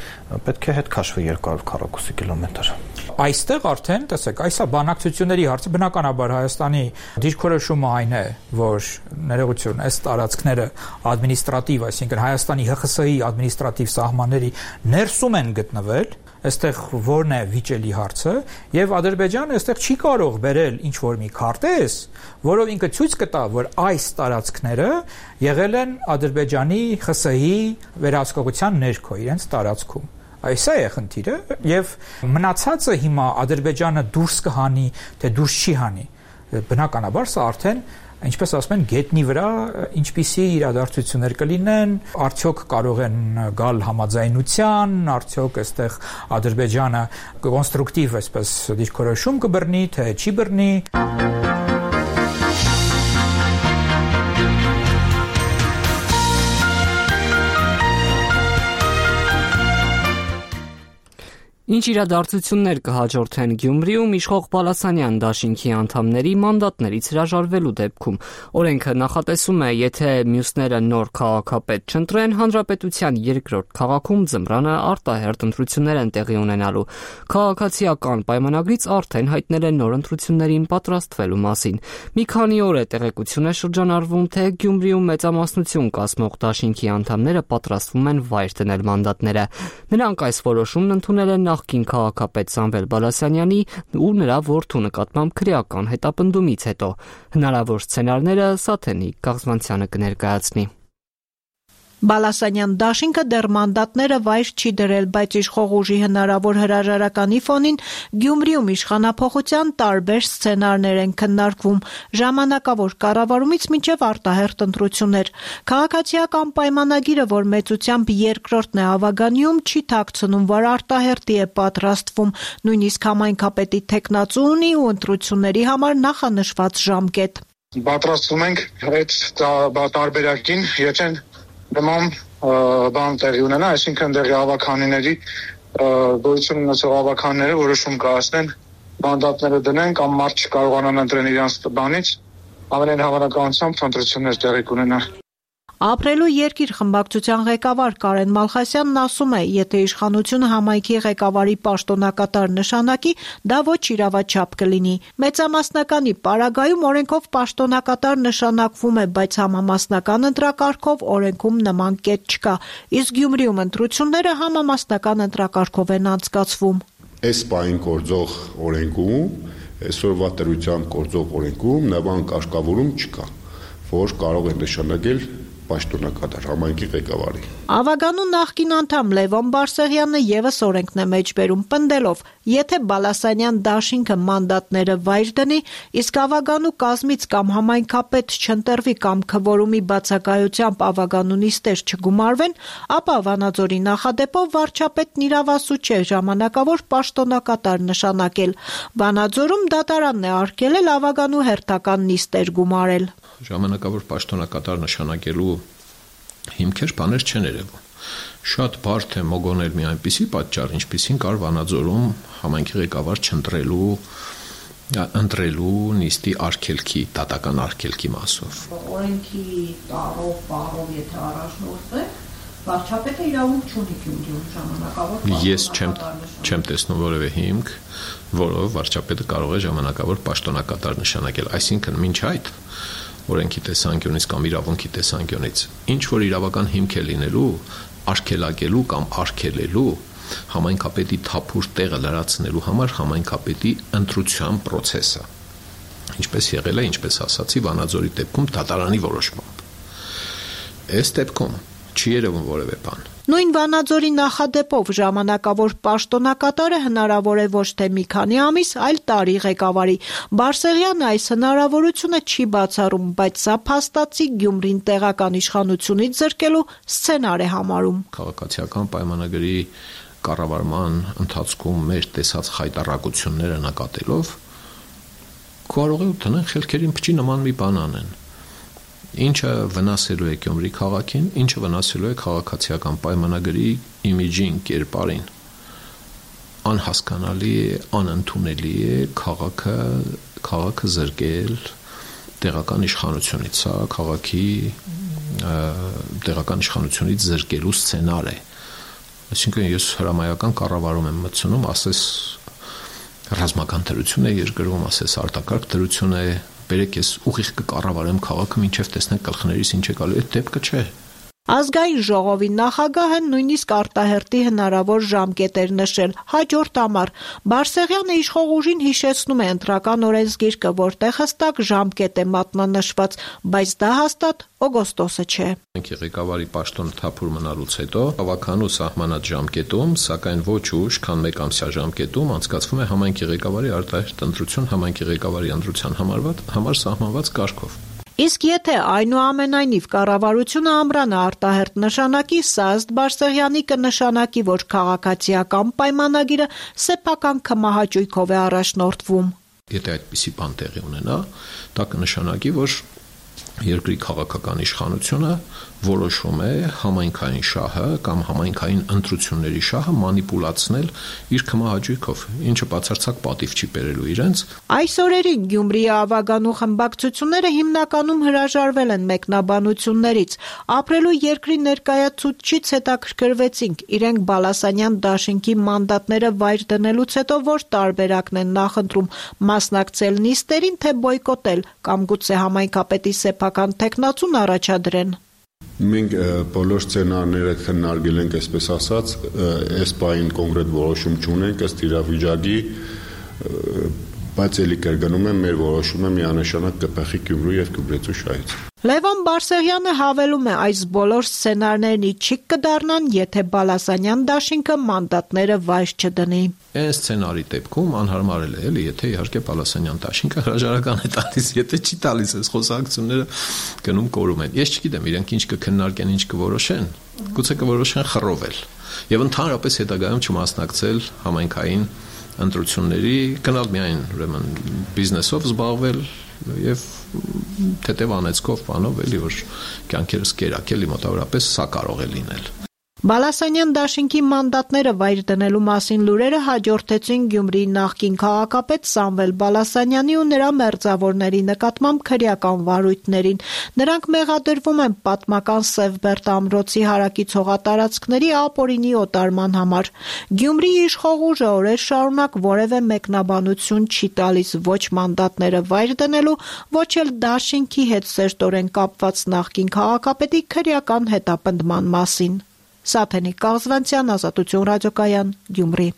պետք է հետ քաշվի երկու հարյուր քառակուսի կիլոմետր։ Այստեղ արդեն, տեսեք, այսա բանակցությունների հարցը, բնականաբար Հայաստանի դիրքորոշումը այն է, որ ներողություն, այս տարածքները ադմինիստրատիվ, այսինքն Հայաստանի ՀԽՍՀ-ի ադմինիստրատիվ սահմանների ներսում են գտնվել, այստեղ որն է վիճելի հարցը, եւ Ադրբեջանը այստեղ չի կարող բերել ինչ որ մի քարտեզ, որով ինքը ցույց կտա, որ այս տարածքները եղել են Ադրբեջանի ԽՍՀ-ի վերահսկողության ներքո իրենց տարածքում։ Այսա է խնդիրը, եւ մնացածը հիմա Ադրբեջանը դուրս կհանի, թե դուրս չի հանի։ Բնականաբար սա արդեն, ինչպես ասում են, գետնի վրա ինչպիսի իրադարձություններ կլինեն, արդյոք կարող են գալ համաձայնության, արդյոք այստեղ Ադրբեջանը կոնստրուկտիվ այսպես դիրքորոշում կբռնի, թե չի բռնի։ Ինչ իրադարձություններ կհաջորդեն Գյումրիում իշխող Բալասանյան դաշինքի անդամների մանդատներից հրաժարվելու դեպքում։ Օրենքը նախատեսում է, եթե մյուսները նոր քաղաքապետ չընտրեն, հանրապետության երկրորդ քաղաքում ձմռանը արտահերթ ընտրություններ են տեղի ունենալու։ Քաղաքացիական պայմանագրից արդեն հայտնել են նոր ընտրություններին պատրաստվելու մասին։ Մի քանի օր է տեղեկություն է շրջանառվում, թե Գյումրիում մեծամասնություն կազմող դաշինքի անդամները պատրաստվում են վայր դնել մանդատները։ Նրանք այս որոշումն ընդունել են նախկին քաղաքապետ Սամվել Բալասանյանի ու նրա որդու նկատմամբ քրեական հետապնդումից հետո։ Հնարավոր սցենարները Սաթենիկ Գաղզվանցյանը կներկայացնի։ Բալասանյան դաշինքը դեռ մանդատները վայր չի դրել, բայց իշխող ուժի հնարավոր հրաժարականի ֆոնին Գյումրիում իշխանափոխության տարբեր սցենարներ են քննարկվում, ժամանակավոր կառավարումից մինչև արտահերթ ընտրություններ։ Քաղաքացիական պայմանագիրը, որ մեծությամբ երկրորդն է ավագանիում, չի թաքցնում, որ արտահերթի է պատրաստվում, նույնիսկ համայնքապետի թեկնածու ունի ու ընտրությունների համար նախանշված ժամկետ։ Պատրաստվում ենք այդ տարբերակին, եթե նման բան տեղի ունենա, այսինքն դեղի ավականիների գոյություն ունեցող ավականները որոշում կայացնեն, մանդատները դնեն կամ մարդ չկարողանան ընտրեն իրենց բանից, ամենայն հավանականությամբ ընտրություններ տեղի կունենան։ Ապրելու երկիր խմբակցության ղեկավար Կարեն Մալխասյանն ասում է, եթե իշխանությունը համայնքի ղեկավարի պաշտոնակատար նշանակի, դա ոչ իրավաչափ կլինի։ Մեծամասնականի պարագայում օրենքով պաշտոնակատար նշանակվում է, բայց համամասնական ընտրակարգով օրենքում նման կետ չկա, իսկ Գյումրիում ընտրությունները համամասնական ընտրակարգով են անցկացվում։ Այս պահին գործող օրենքում, այսօրվա դրությամբ գործող օրենքում նման կարգավորում չկա, որ կարող է նշանակել պաշտոնակատար համայնքի ղեկավարի։ Ավագանու նախկին անդամ Լևոն Բարսեղյանը եւս օրենքն է մեջբերում պնդելով, եթե Բալասանյան դաշինքը մանդատները վայր դնի, իսկ ավագանու կազմից կամ համայնքապետ չընտրվի կամ քվորումի բացակայությամբ ավագանու նիստեր չգումարվեն, ապա Վանաձորի նախադեպով վարչապետն իրավասու չէ ժամանակավոր պաշտոնակատար նշանակել։ Վանաձորում դատարանն է արգելել ավագանու հերթական նիստեր գումարել։ Ժամանակավոր պաշտոնակատար նշանակելու հիմքեր բաներ չեն երևում։ Շատ բարդ է մոգոնել մի այնպիսի պատճառ, ինչպիսին կար Վանաձորում համայնքի ղեկավար չընտրելու, ընտրելու նիստի արգելքի, դատական արգելքի մասով։ Օրենքի տարով, պարով, եթե առաջնորդ է, վարչապետը իրավունք չունի Գյումրիում ժամանակավոր։ Ես չեմ չեմ տեսնում որևէ հիմք, որով վարչապետը կարող է ժամանակավոր պաշտոնակատար նշանակել, այսինքն մինչ այդ օրենքի տեսանկյունից կամ իրավունքի տեսանկյունից ինչ որ իրավական հիմք է լինելու արգելակելու կամ արգելելու համայնքապետի թափուր տեղը լրացնելու համար համայնքապետի ընտրության process-ը, ինչպես եղել է, ինչպես ասացի, Վանաձորի դեպքում դատարանի որոշմամբ։ Այս դեպքում չի երևում որևէ բան։ Նույն Վանաձորի նախադեպով ժամանակավոր պաշտոնակատարը հնարավոր է ոչ թե մի քանի ամիս, այլ տարի ղեկավարի։ Բարսեղյանը այս հնարավորությունը չի բացառում, բայց սա փաստացի Գյումրին տեղական իշխանությունից զրկելու սցենար է համարում։ Քաղաքացիական պայմանագրի կառավարման ընթացքում մեր տեսած խայտառակությունները նկատելով կարող է տնեն խելքերին փչի նման մի բան անեն։ Ինչը վնասելու է Գյումրի քաղաքին, ինչը վնասելու է քաղաքացիական պայմանագրի իմիջին, կերպարին։ Անհասկանալի է, անընդունելի է քաղաքը, քաղաքը զրկել տեղական իշխանությունից, սա քաղաքի տեղական իշխանությունից զրկելու սցենար է։ Այսինքն ես հրամայական կառավարում եմ մտցնում, ասես ռազմական դրություն է երկրում, ասես արտակարգ դրություն է, բերեք ես ուղիղ կկառավարեմ քաղաքը, մինչև տեսնեք գլխներիս ինչ է գալու, այդ դեպքը չէ։ Ազգային ժողովի նախագահը նույնիսկ արտահերտի հնարավոր ժամկետ էր նշել հաջորդ ամառ։ Բարսեղյանը իշխող ուժին հիշեցնում է ընտրական օրենսգիրքը, որտեղ հստակ ժամկետ է մատնանշված, բայց դա հաստատ օգոստոսը չէ։ Ղեկավարի պաշտոնը թափուր մնալուց հետո ավականու սահմանած ժամկետում, սակայն ոչ ուշ, քան մեկ ամսյա ժամկետում անցկացվում է համայնքի ղեկավարի արտահերտ ընտրություն համայնքի ղեկավարի ընտրության համար սահմանված կարգով։ Իսկ եթե այնուամենայնիվ կառավարությունը ամռանը արտահերտ նշանակի, սա ըստ Բարսեղյանի կնշանակի, որ քաղաքացիական պայմանագիրը սեփական քմահաճույքով է առաջնորդվում։ Եթե այդպիսի բան տեղի ունենա, դա կնշանակի, որ երկրի քաղաքական իշխանությունը որոշում է համայնքային շահը կամ համայնքային ընտրությունների շահը մանիպուլացնել իր քմահաճույքով, ինչը բացարձակ պատիվ չի բերելու իրենց։ Այս օրերին Գյումրիի ավագանու խմբակցությունները հիմնականում հրաժարվել են մեկնաբանություններից։ Ապրելու երկրի ներկայացուցչից հետաքրքրվեցինք, իրենք Բալասանյան դաշինքի մանդատները վայր դնելուց հետո որ տարբերակն են նախընտրում՝ մասնակցել նիստերին, թե բոյկոտել կամ գուցե համայնքապետի սեփական տեխնացուն առաջադրեն։ Մենք բոլոր սցենարները քննարկել ենք, այսպես ասած, այս բային կոնկրետ որոշում չունենք ըստ իրավիճակի, բայց ելի կրկնում եմ, մեր որոշումը միանշանակ կփոխի Գյումրու եւ Գյումրեցու շահից։ Լևոն Բարսեղյանը հավելում է, այս բոլոր սցենարներն իջիկ կդառնան, եթե Բալասանյան դաշինքը մանդատները վայր չդնի։ Այս սցենարի դեպքում անհարմար է, էլի, եթե իհարկե Բալասանյան դաշինքը հրաժարական է տալիս, եթե չի տալիս, այս խոսակցությունները գնում կորում են։ Ես չգիտեմ, իրենք ինչ կքննարկեն, ինչ կորոշեն, գուցե կորոշեն խռովել եւ ընդհանրապես հետագայում չմասնակցել համայնքային ընտրությունների, գնալ միայն ուրեմն բիզնեսով զբաղվել եւ թեթև անեցքով բանով էլի որ կյանքերս կերակելի մոտավորապես սա կարող է լինել։ Բալասանյան դաշինքի մանդատները վայր դնելու մասին լուրերը հաջորդեցին Գյումրիի նախկին քաղաքապետ Սամվել Բալասանյանի ու նրա մերձավորների նկատմամբ քրեական վարույթներին։ Նրանք մեղադրվում են պատմական Սևբերտ ամրոցի հարակից հողատարածքների ապօրինի օտարման համար։ Գյումրիի իշխող ուժը օրեր շարունակ որևէ մեկնաբանություն չի տալիս ոչ մանդատները վայր դնելու, ոչ էլ դաշինքի հետ սերտորեն կապված նախկին քաղաքապետի քրեական հետապնդման մասին։ Սաթենիկ Կաղզվանցյան, Ազատություն ռադիոկայան, Գյումրի։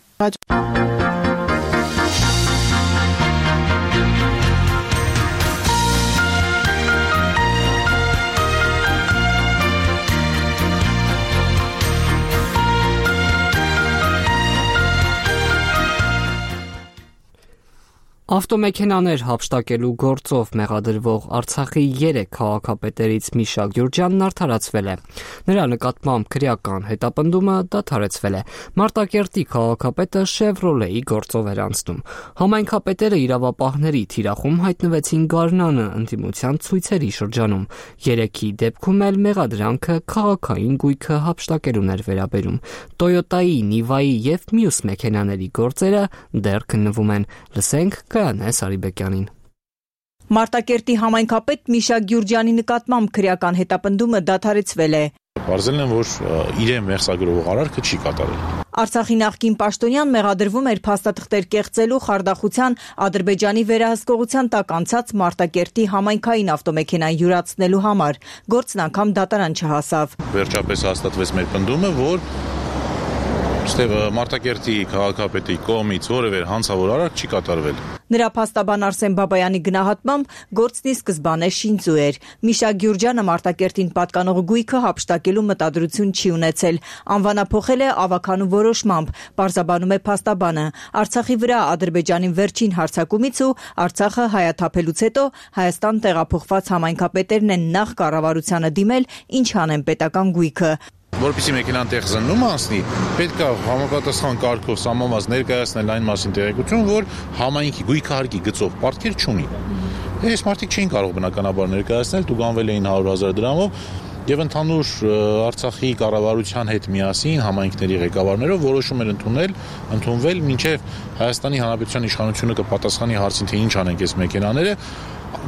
Ավտոմեքենաներ հափշտակելու գործով մեղադրվող Արցախի երեք քաղաքապետերից Միշա Գյուրջյանն արդարացվել է։ Նրա նկատմամբ քրեական հետապնդումը դադարեցվել է։ Մարտակերտի քաղաքապետը Chevrolet-ի գործով էր անցնում։ Համայնքապետերը իրավապահների թիրախում հայտնվեցին գարնանը ընդդիմության ցույցերի շրջանում։ Երեքի դեպքում էլ մեղադրանքը քաղաքային գույքը հափշտակելուն էր վերաբերում։ Toyota-ի, Niva-ի եւ մյուս մեքենաների գործերը դեռ քննվում են։ Լսենք Կանե Սարիբեկյանին։ Մարտակերտի համայնքապետ Միշա Գյուրջյանի նկատմամբ քրեական հետապնդումը դադարեցվել է։ Բարձելն է, որ իրեն մեղսագրող արարքը չի կատարել։ Արցախի նախկին պաշտոնյան մեղադրվում էր փաստաթղթեր կեղծելու, խարդախության, Ադրբեջանի վերահսկողության տակ անցած Մարտակերտի համայնքային ավտոմեքենան յուրացնելու համար։ Գործն անգամ դատարան չհասավ։ Վերջապես հաստատվեց մեր պնդումը, որ Ստեղ Մարտակերտի քաղաքապետի կողմից որևէ հանցավոր արարք չի կատարվել։ Նրա փաստաբան Արսեն Բաբայանի գնահատմամբ գործն ի սկզբանե շինծու էր։ Միշա Գյուրջյանը Մարտակերտին պատկանող գույքը հափշտակելու մտադրություն չի ունեցել։ Անվանափոխել է ավականու որոշմամբ, պարզաբանում է փաստաբանը։ Արցախի վրա Ադրբեջանին վերջին հարձակումից ու Արցախը հայաթափելուց հետո Հայաստան տեղափոխված համայնքապետերն են նախ կառավարությանը դիմել, ինչ անեն պետական գույքը։ Որպեսզի մեքենան տեղ զննում անցնի, պետք է համապատասխան կարգով սահմանված ներկայացնել այն մասին տեղեկություն, որ համայնքի գույքահարկի գծով պարտքեր չունի։ Այս մարդիկ չէին կարող բնականաբար ներկայացնել, տուգանվել էին հարյուր հազար դրամով եւ ընդհանուր Արցախի կառավարության հետ միասին համայնքների ղեկավարներով որոշում էր ընդունել, ընդունվել մինչեւ Հայաստանի Հանրապետության իշխանությունը կպատասխանի հարցին, թե ինչ անենք այս մեքենաները,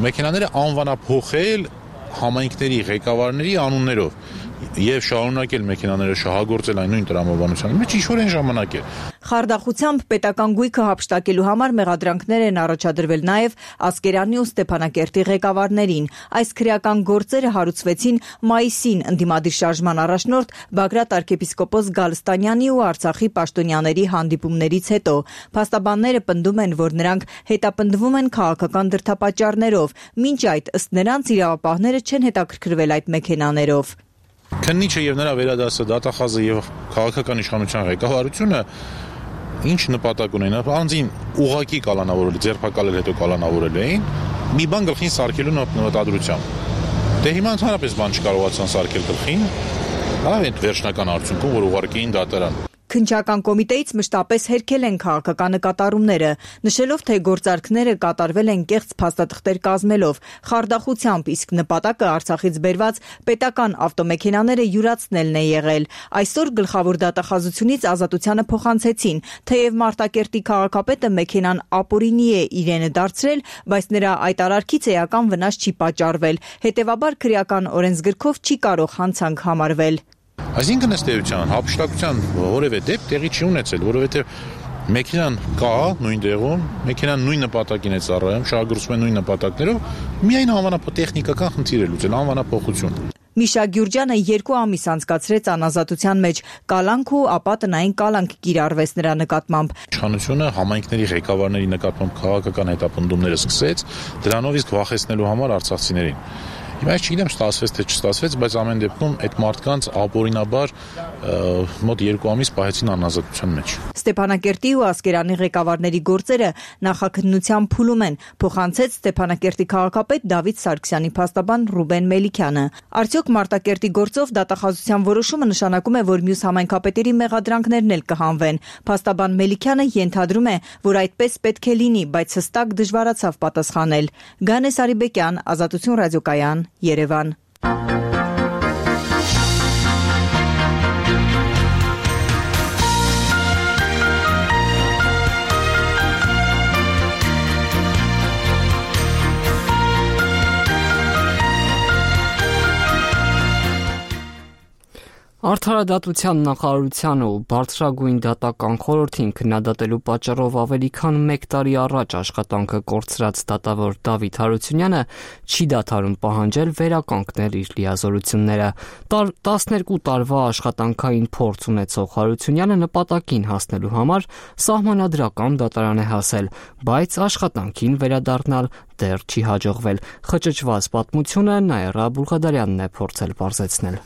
մեքենաները անվանափոխել համայնքների ղեկավարների անուններով եւ շարունակել մեքենաները շահագործել այն նույն տրամաբանության մեջ ինչ-որ այն ժամանակ է։ Խարդախությամբ պետական գույքը հափշտակելու համար մեղադրանքներ են առաջադրվել նաեւ Ասկերանի ու Ստեփանակերտի ղեկավարներին։ Այս քրեական գործերը հարուցվեցին մայիսին ընդդիմադիր շարժման առաջնորդ Բագրատ arczepiskopos Գալստանյանի ու Արցախի պաշտոնյաների հանդիպումներից հետո։ Փաստաբանները պնդում են, որ նրանք հետապնդվում են քաղաքական դրդապատճառներով, մինչ այդ ըստ նրանց իրավապահները չեն հետաքրքրվել այդ մեքենաներով։ Քննիչը եւ նրա վերադասը դատախազը եւ քաղաքական իշխանության ղեկավարությունը ինչ նպատակ ունեն, անձին ուղակի կալանավորել, ձերբակալել հետո կալանավորել էին, մի բան գլխին սարքելու նպատակությամբ։ Դե հիմա ընդհանրապես բան չկարողացան սարքել գլխին, այլ այդ վերջնական արդյունքում, որ ուղարկեին դատարան։ Քննչական կոմիտեից մշտապես հերքել են քաղաքական նկատառումները, նշելով, թե գործարքները կատարվել են կեղծ փաստաթղթեր կազմելով, խարդախությամբ, իսկ նպատակը Արցախից բերված պետական ավտոմեքենաները յուրացնելն է եղել։ Այսօր գլխավոր դատախազությունից ազատությանը փոխանցեցին, թեև Մարտակերտի քաղաքապետը մեքենան ապօրինի է իրենը դարձրել, բայց նրա այդ արարքից էական վնաս չի պատճառվել, հետևաբար քրեական օրենսգրքով չի կարող հանցանք համարվել։ Այսինքն ըստ էության հափշտակության որևէ դեպք տեղի չի ունեցել, որովհետև մեքենան կա նույն տեղում, մեքենան նույն նպատակին է ծառայում, շահագործվում է նույն նպատակներով, միայն անվանափոխ տեխնիկական խնդիր է լուծել, անվանափոխություն։ Միշա Գյուրջյանը երկու ամիս անցկացրեց անազատության մեջ, կալանք ու ապա տնային կալանք կիրառվեց նրա նկատմամբ։ Իշխանությունը համայնքների ղեկավարների նկատմամբ քաղաքական հետապնդումները սկսեց, դրանով իսկ վախեցնելու համար արցախցիներին։ Հիմա ես չգիտեմ ստացվեց թե չստացվեց, բայց ամեն դեպքում այդ մարդկանց ապօրինաբար մոտ երկու ամիս պահեցին անազատության մեջ։ Ստեփանակերտի ու Ասկերանի ղեկավարների գործերը նախաքննության փուլում են, փոխանցեց Ստեփանակերտի քաղաքապետ Դավիթ Սարգսյանի փաստաբան Ռուբեն Մելիքյանը։ Արդյոք Մարտակերտի գործով դատախազության որոշումը նշանակում է, որ մյուս համայնքապետերի մեղադրանքներն էլ կհանվեն։ Փաստաբան Մելիքյանը ենթադրում է, որ այդպես պետք է լինի, բայց հստակ դժվարացավ պատասխանել։ Գանե Սարիբեկյան, Ազատություն ռադիոկայան, Երևան։ Արդարադատության նախարարությանը ու բարձրագույն դատական խորհրդին քննադատելու պատճառով ավելի քան մեկ տարի առաջ աշխատանքը կորցրած դատավոր Դավիթ Հարությունյանը չի դադարում պահանջել վերականգնել իր լիազորությունները։ տասներկու տարվա աշխատանքային փորձ ունեցող Հարությունյանը նպատակին հասնելու համար սահմանադրական դատարան է հասել, բայց աշխատանքին վերադառնալ դեռ չի հաջողվել։ Խճճված պատմությունը Նաիրա Բուլղադարյանն է փորձել բարձեցնել։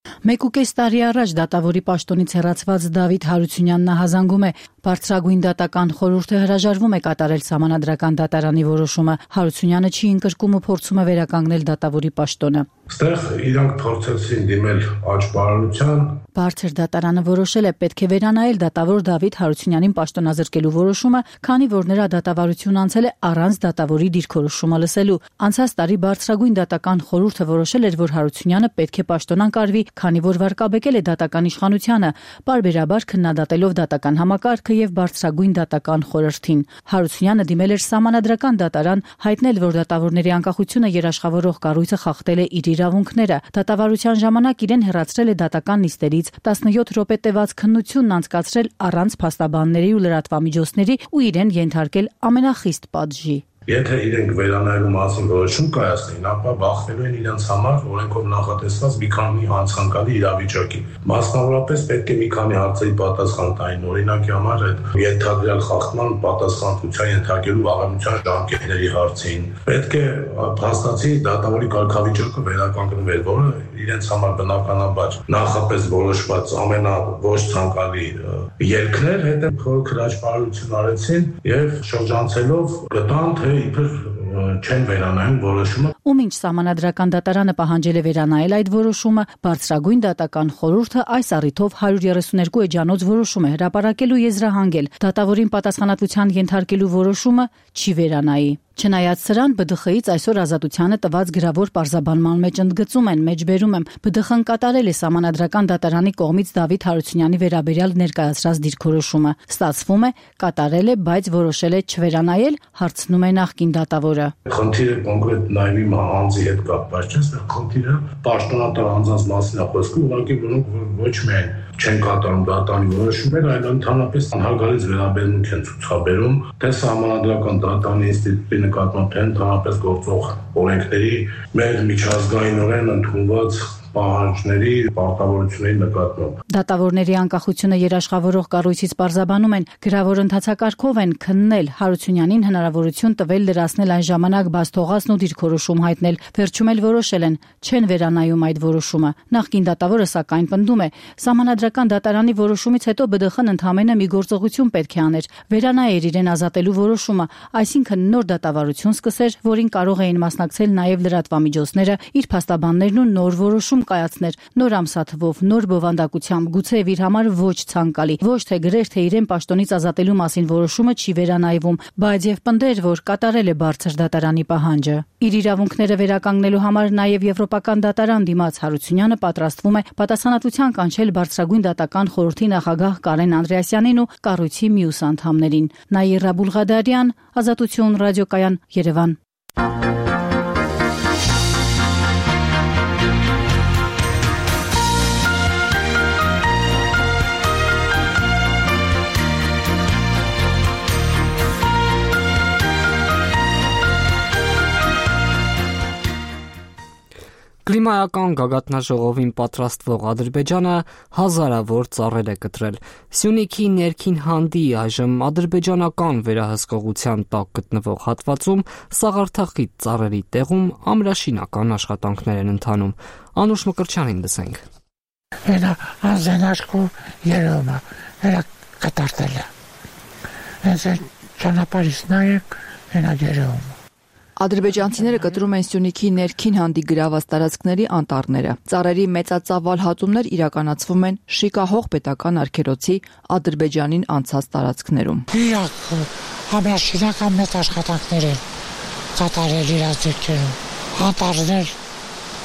Մեկ ու կես տարի առաջ դատավորի պաշտոնից հեռացված Դավիթ Հարությունյանն ահազանգում է. Բարձրագույն դատական խորհուրդը հրաժարվում է կատարել Սահմանադրական դատարանի որոշումը։ Հարությունյանը չի ընկրկում ու փորձում է վերականգնել դատավորի պաշտոնը։ Այստեղ իրանք փորձեցին դիմել աճպարարության։ Բարձր դատարանը որոշել է պետք է վերանայել դատավոր Դավիթ Հարությունյանին պաշտոնազրկելու որոշումը, քանի որ նրա դատավարությունն անցել է առանց դատավորի դիրքորոշումը լսելու։ Անցած տարի բարձրագույն դատական խորհուրդը որոշել էր, որ Հարությունյանը պետք է պաշտոնանկարվի, քանի որ վարկաբեկել է դատական իշխանությանը, պարբերաբար քննադատելով դատական համակարգը եւ բարձրագույն դատական խորհրդին։ Հարությունյանը դիմել էր Սահմանադրական դատարան, հայտնել, որ դատավորների անկախությունը երաշխավորող կառույցը խախտել է իր իրավունքները։ Դատավարության ժամանակ իրեն հեռացրել է դատական նիստերից, տասնյոթ րոպե տևած քննությունն անցկացրել առանց փաստաբանների ու լրատվամիջոցների ու իրեն ենթարկել ամենախիստ պատժի։ Եթե իրենք վերանայելու մասին որոշում կայացնեին, ապա բախվելու են իրենց համար օրենքով նախատեսված մի քանի անցանկալի իրավիճակի։ Մասնավորապես պետք է մի քանի հարցերի պատասխան տային, օրինակի համար այդ ենթադրյալ խախտման պատասխանատվության ենթարկելու աղանության ժամկետների հարցին։ Պետք է փաստացի դատավորի կարգավիճակը վերականգնվեր, որը իրենց համար բնականաբար նախապես որոշված ամենաոչ ցանկալի ելքն էր, հետո խորը քրաճպարություն արեցին եւ շրջանցելով գտան թե իբր չեն վերանայում որոշումը։ Ու մինչ Սահմանադրական դատարանը պահանջել է վերանայել այդ որոշումը, բարձրագույն դատական խորհուրդը այս առիթով հարյուր երեսուներկու էջանոց որոշում է հրապարակել ու եզրահանգել դատավորին պատասխանատվության ենթարկելու որոշումը չի վերանայի։ Չնայած սրան, Բ Դ Խ-ից այսօր ազատությանը տված գրավոր պարզաբանման մեջ ընդգծում են, մեջբերում եմ, Բ Դ Խ-ն կատարել է Սահմանադրական դատարանի կողմից Դավիթ Հարությունյանի վերաբերյալ ներկայացրած դիրքորոշումը։ Ստացվում է, կատարել է, բայց որոշել է չվերանայել, հարցնում է նախկին դատավորը։ Խնդիրը կոնկրետ նայվի անձի հետ կապված չէ, այստեղ խնդիրը պաշտոնատար անձանց մասին է խոսքը, ուղղակի որոնք ոչ միայն չեն կատարում դատարանի որոշումները, այլ ընդհանրապես անհարգալից վերաբերմունք են ցուցաբերում թե Սահմանադրական դատարանի ինստիտուտի նկատմամբ, թե ընդհանրապես գործող օրենքների մեր միջազգայինորեն ընդունված պահանջների, պարտավորությունների նկատմամբ։ Դատավորների անկախությունը երաշխավորող կառույցից պարզաբանում են, գրավոր ընթացակարգով են քննել Հարությունյանին հնարավորություն տվել լրացնել այն ժամանակ բաց թողածն ու դիրքորոշում հայտնել, վերջում էլ որոշել են, չեն վերանայում այդ որոշումը։ Նախկին դատավորը սակայն պնդում է, Սահմանադրական դատարանի որոշումից հետո Բ Դ Խ-ն ընդհանրապես մի գործողություն պետք է աներ, վերանայեր իրեն ազատելու որոշումը, այսինքն նոր դատավարություն սկսեր, որին կարող էին մասնակցել նաև լրատվամիջոցները, իր փաստաբաններն ու նոր որոշում կայացներ, նոր ամսաթվով, նոր բովանդակությամբ, գուցե իր համար ոչ ցանկալի, ոչ թե գրեր, թե իրեն պաշտոնից ազատելու մասին որոշումը չի վերանայվում, բայց եւ պնդեր, որ կատարել է բարձր դատարանի պահանջը։ Իր իրավունքները վերականգնելու համար նաև Եվրոպական դատարան դիմաց Հարությունյանը պատրաստվում է պատասխանատվության կանչել բարձրագույն դատական խորհրդի նախագահ Կարեն Անդրեասյանին ու կառույցի մյուս անդամներին։ Նաիրա Բուլղադարյան, Ազատություն ռադիոկայան, Երևան։ Կլիմայական գագաթնաժողովին պատրաստվող Ադրբեջանը հազարավոր ծառեր է կտրել։ Սյունիքի ներքին հանդի այժմ ադրբեջանական վերահսկողության տակ գտնվող հատվածում սաղարթախիտ ծառերի տեղում ամրաշինական աշխատանքներ են ընթանում։ Անուշ Մկրտչյանին լսենք։ Հենա անզենաշկու երևում է, հենա կտարտել է։ Հենց են ճանապարհից նայեք, հենա երևում է։ Ադրբեջանցիները կտրում են Սյունիքի ներքին հանդի գրաված տարածքների անտառները։ Ծառերի մեծածավալ հատումներ իրականացվում են Շիկահող պետական արգելոցի Ադրբեջանին անցած տարածքներում։ Իրաք ամրաշինական մեծ աշխատանքներ են կատարել իրաց ձեռքերում։ Անտառներ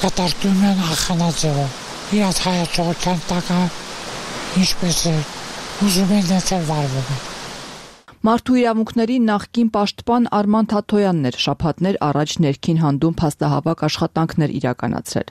կատարում են ախանաձևով։ Իրաց հայացողության տակ ինչպես է ուզում են դարձել վարվում են։ Մարդու իրավունքների նախկին պաշտպան Արման Թաթոյանն էր շաբաթներ առաջ ներքին հանդում փաստահավաք աշխատանքներ իրականացրել։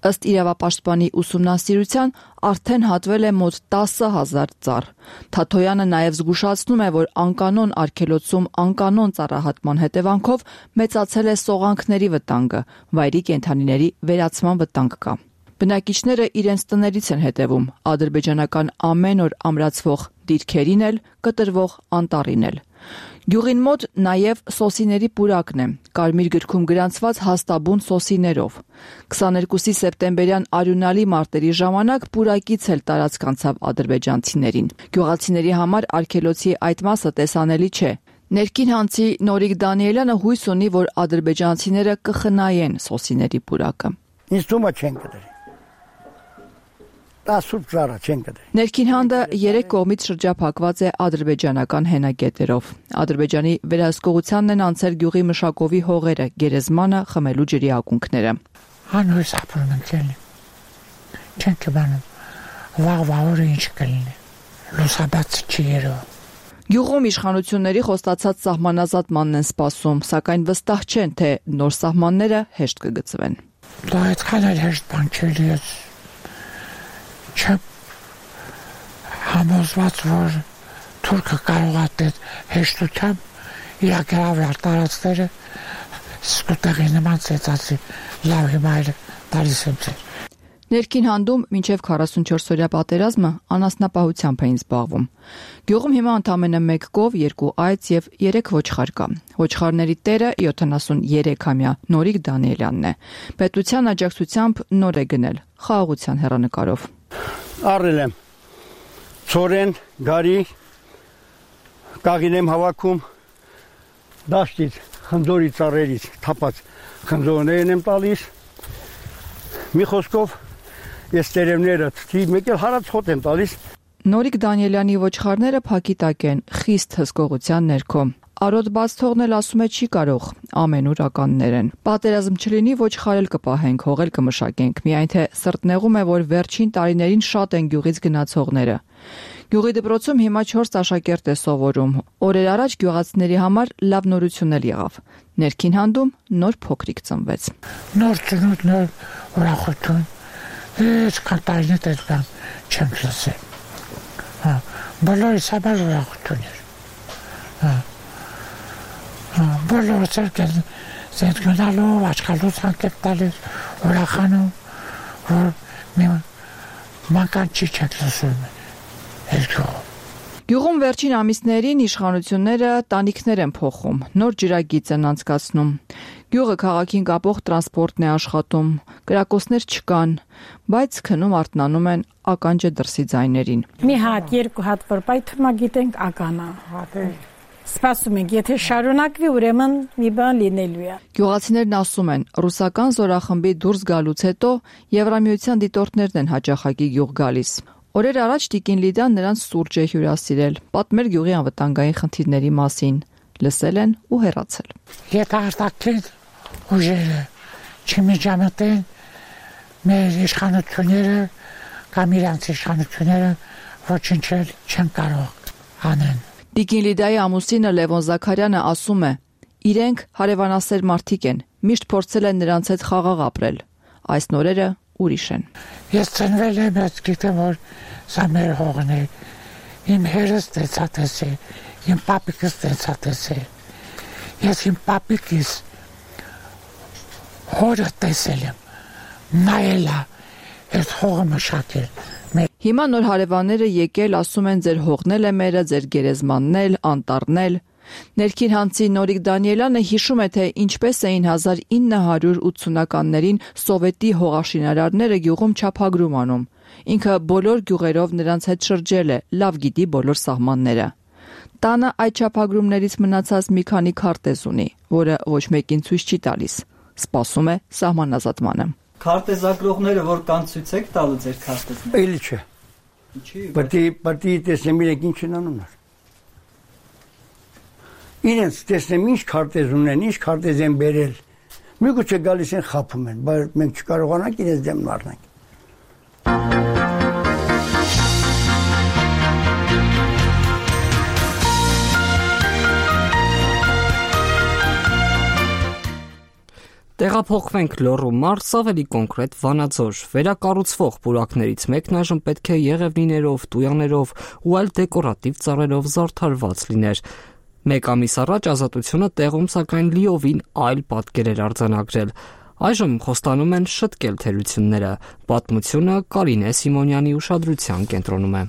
Ըստ իրավապաշտպանի ուսումնասիրության արդեն հատվել է մոտ տասը հազար ծառ։ Թաթոյանը նաև զգուշացնում է, որ անկանոն արգելոցում անկանոն ծառահատման հետևանքով մեծացել է սողանքների վտանգը, վայրի կենդանիների վերացման վտանգ կա։ Բնակիչները իրենց տներից են հետևում, ադրբեջանական ամեն օր ամրացվող դիրքերին էլ, կտրվող անտառին էլ։ Գյուղին մոտ նաև սոսիների պուրակն է, կարմիր գրքում գրանցված հաստաբուն սոսիներով։ քսաներկուսի սեպտեմբերյան արյունալի մարտերի ժամանակ պուրակից էլ տարածք անցավ ադրբեջանցիներին։ Գյուղացիների համար արգելոցի այդ մասը տեսանելի չէ։ Ներքին հանցի Նորիկ Դանիելյանը հույս ունի, որ ադրբեջանցիները կխնայեն սոսիների պուրակը։ Ինձ թվում է չեն կդրի։ Տասուր ծառա չեն կդրի։ Ներքին հանդը երեք կողմից շրջափակված է ադրբեջանական հենագետերով։ Ադրբեջանի վերահսկողությանն են անցել գյուղի մշակովի հողերը, գերեզմանը, խմելու ջրի ակունքները։ Անհույս ապրում ենք էլի։ Չեն կբանում։ Վաղվա օրը ինչ կլինի։ Լուսաբաց չի երևում։ Գյուղում իշխանությունների խոստացած սահմանազատմանն են սպասում, սակայն վստահ չեն, թե նոր սահմանները հեշտ կգծվեն։ Դա այդքան էլ հեշտ բան չէ, ես չեմ համոզված, որ թուրքը կարող է այդ հեշտությամբ իր գրավյալ տարածքները սկուտեղի նման ծեծածի լավ հիմա էլ տալիս եմ ձեր։ Ներքին հանդում մինչև քառասունչորս-օրյա պատերազմը անասնապահությամբ էին զբաղվում։ Գյուղում հիմա ընդամենը մեկ կով, երկու այծ եւ երեք ոչխար կա։ Ոչխարների տերը յոթանասունյոթամյա Նորիկ Դանիելյանն է։ Պետության աջակցությամբ նոր է գնել խաղաղության հեռանկարով։ Առել եմ ծորեն, գարի, կաղին եմ հավաքում, դաշտից, խնձորի ծառերից թափած խնձորներն եմ տալիս։ Մի խոսքով ես տերևները թթի մեկ էլ հարած հոտ եմ տալիս։ Նորիկ Դանիելյանի ոչխարները փակի տակ են, խիստ հսկողության ներքո։ Արոտ բաց թողնել ասում է չի կարող, ամենուր ականներ են։ Պատերազմ չլինի ոչխար էլ կպահենք, հող էլ կմշակենք, միայն թե սրտնեղում է, որ վերջին տարիներին շատ են գյուղից գնացողները։ Գյուղի դպրոցում հիմա չորս աշակերտ է սովորում։ Օրեր առաջ գյուղացիների համար լավ նորություն էլ եղավ։ Ներքին հանդում նոր փոքրիկ ծնվեց։ Նոր ծնունդ, նոր ուրախություն։ Ես կանտարինը դեպքան չեմ լսել։ Հա, բոլորիս համար ուրախություն էր։ Հա։ Հա, բոլորը ցերկել զեդ գնալով, աչքալուց հանկետ տալիս, ուրախանում, որ մի մանկան չի չեք լսում։ Գյուղում վերջին ամիսներին իշխանությունները տանիքներ են փոխում, նոր ջրագիծ են անցկացնում։ Գյուղը քաղաքին կապող տրանսպորտն է աշխատում, կրակոցներ չկան, բայց քնում արթնանում են ականջը դրսի ձայներին։ Մի հատ, երկու հատ որ պայթում գիտենք ականա։ Սպասում ենք, եթե շարունակվի, ուրեմն մի բան լինելու է։ Գյուղացիներն ասում են, ռուսական զորախմբի դուրս գալուց հետո Եվրամիության դիտորդներն են հաճախակի գյուղ գալիս։ Օրեր առաջ Տիկին Լիդան նրանց սուրճ է հյուրասիրել, պատմել գյուղի անվտանգային խնդիրների մասին, լսել են ու հեռացել։ Եթե արտաքին ուժերը չմիջամտեն, մեր իշխանությունները կամ իրանց իշխանությունները ոչինչ չեն կարող անեն։ Տիկին Լիդայի ամուսինը Լևոն Զաքարյանը ասում է. իրենք հարևանասեր մարդիկ են, միշտ փորձել են նրանց հետ խաղաղ ապրել։ Այս նորերը ուրիշ են։ Ես ծնվել եմ, ես գիտեմ, որ սա մեր հողն է։ Իմ հերս տեսած է, իմ պապիկս տեսած է։ Ես իմ պապիկիս հորը տեսել եմ, նայել է, այս հողը մշակել։ Հիմա նոր հարևանները եկել, ասում են ձեր հողնել է մերը, ձեր գերեզմանն էլ, անտառն էլ։ Ներքին հանցի Նորիկ Դանիելյանը հիշում է, թե ինչպես էին հազար ինը հարյուր ութսունականներին սովետի հողաշինարարները գյուղում չափագրում անում։ Ինքը բոլոր գյուղերով նրանց հետ շրջել է, լավ գիտի բոլոր սահմանները։ Տանը այդ չափագրումներից մնացած մի քանի քարտեզ ունի, որը ոչ մեկին ցույց չի տալիս։ Սպասում է սահմանազատմանը։ Քարտեզագրողները որ կան ցույց եք տալու ձեր քարտեզները։ Էլի չէ։ Ինչի՞։ Բայց բայց տեսնեմ իրենք ինչ են անում։ Իրենց տեսնեմ ինչ քարտեզ ունեն, ինչ քարտեզ են բերել։ Միգուցե գալիս են խափում են, բայց մենք չկարողանանք իրենց դեմն առնենք։ Տեղափոխվենք Լոռու մարզ, ավելի կոնկրետ Վանաձոր։ Վերակառուցվող պուրակներից մեկն այժմ պետք է եղևնիներով, տույաներով ու այլ դեկորատիվ ծառերով զարդարված լիներ։ Մեկ ամիս առաջ Ազատությունը տեղում սակայն լիովին այլ պատկեր էր արձանագրել։ Այժմ խոստանում են շտկել թերությունները։ Պատմությունը Կարինե Սիմոնյանի ուշադրության կենտրոնում է։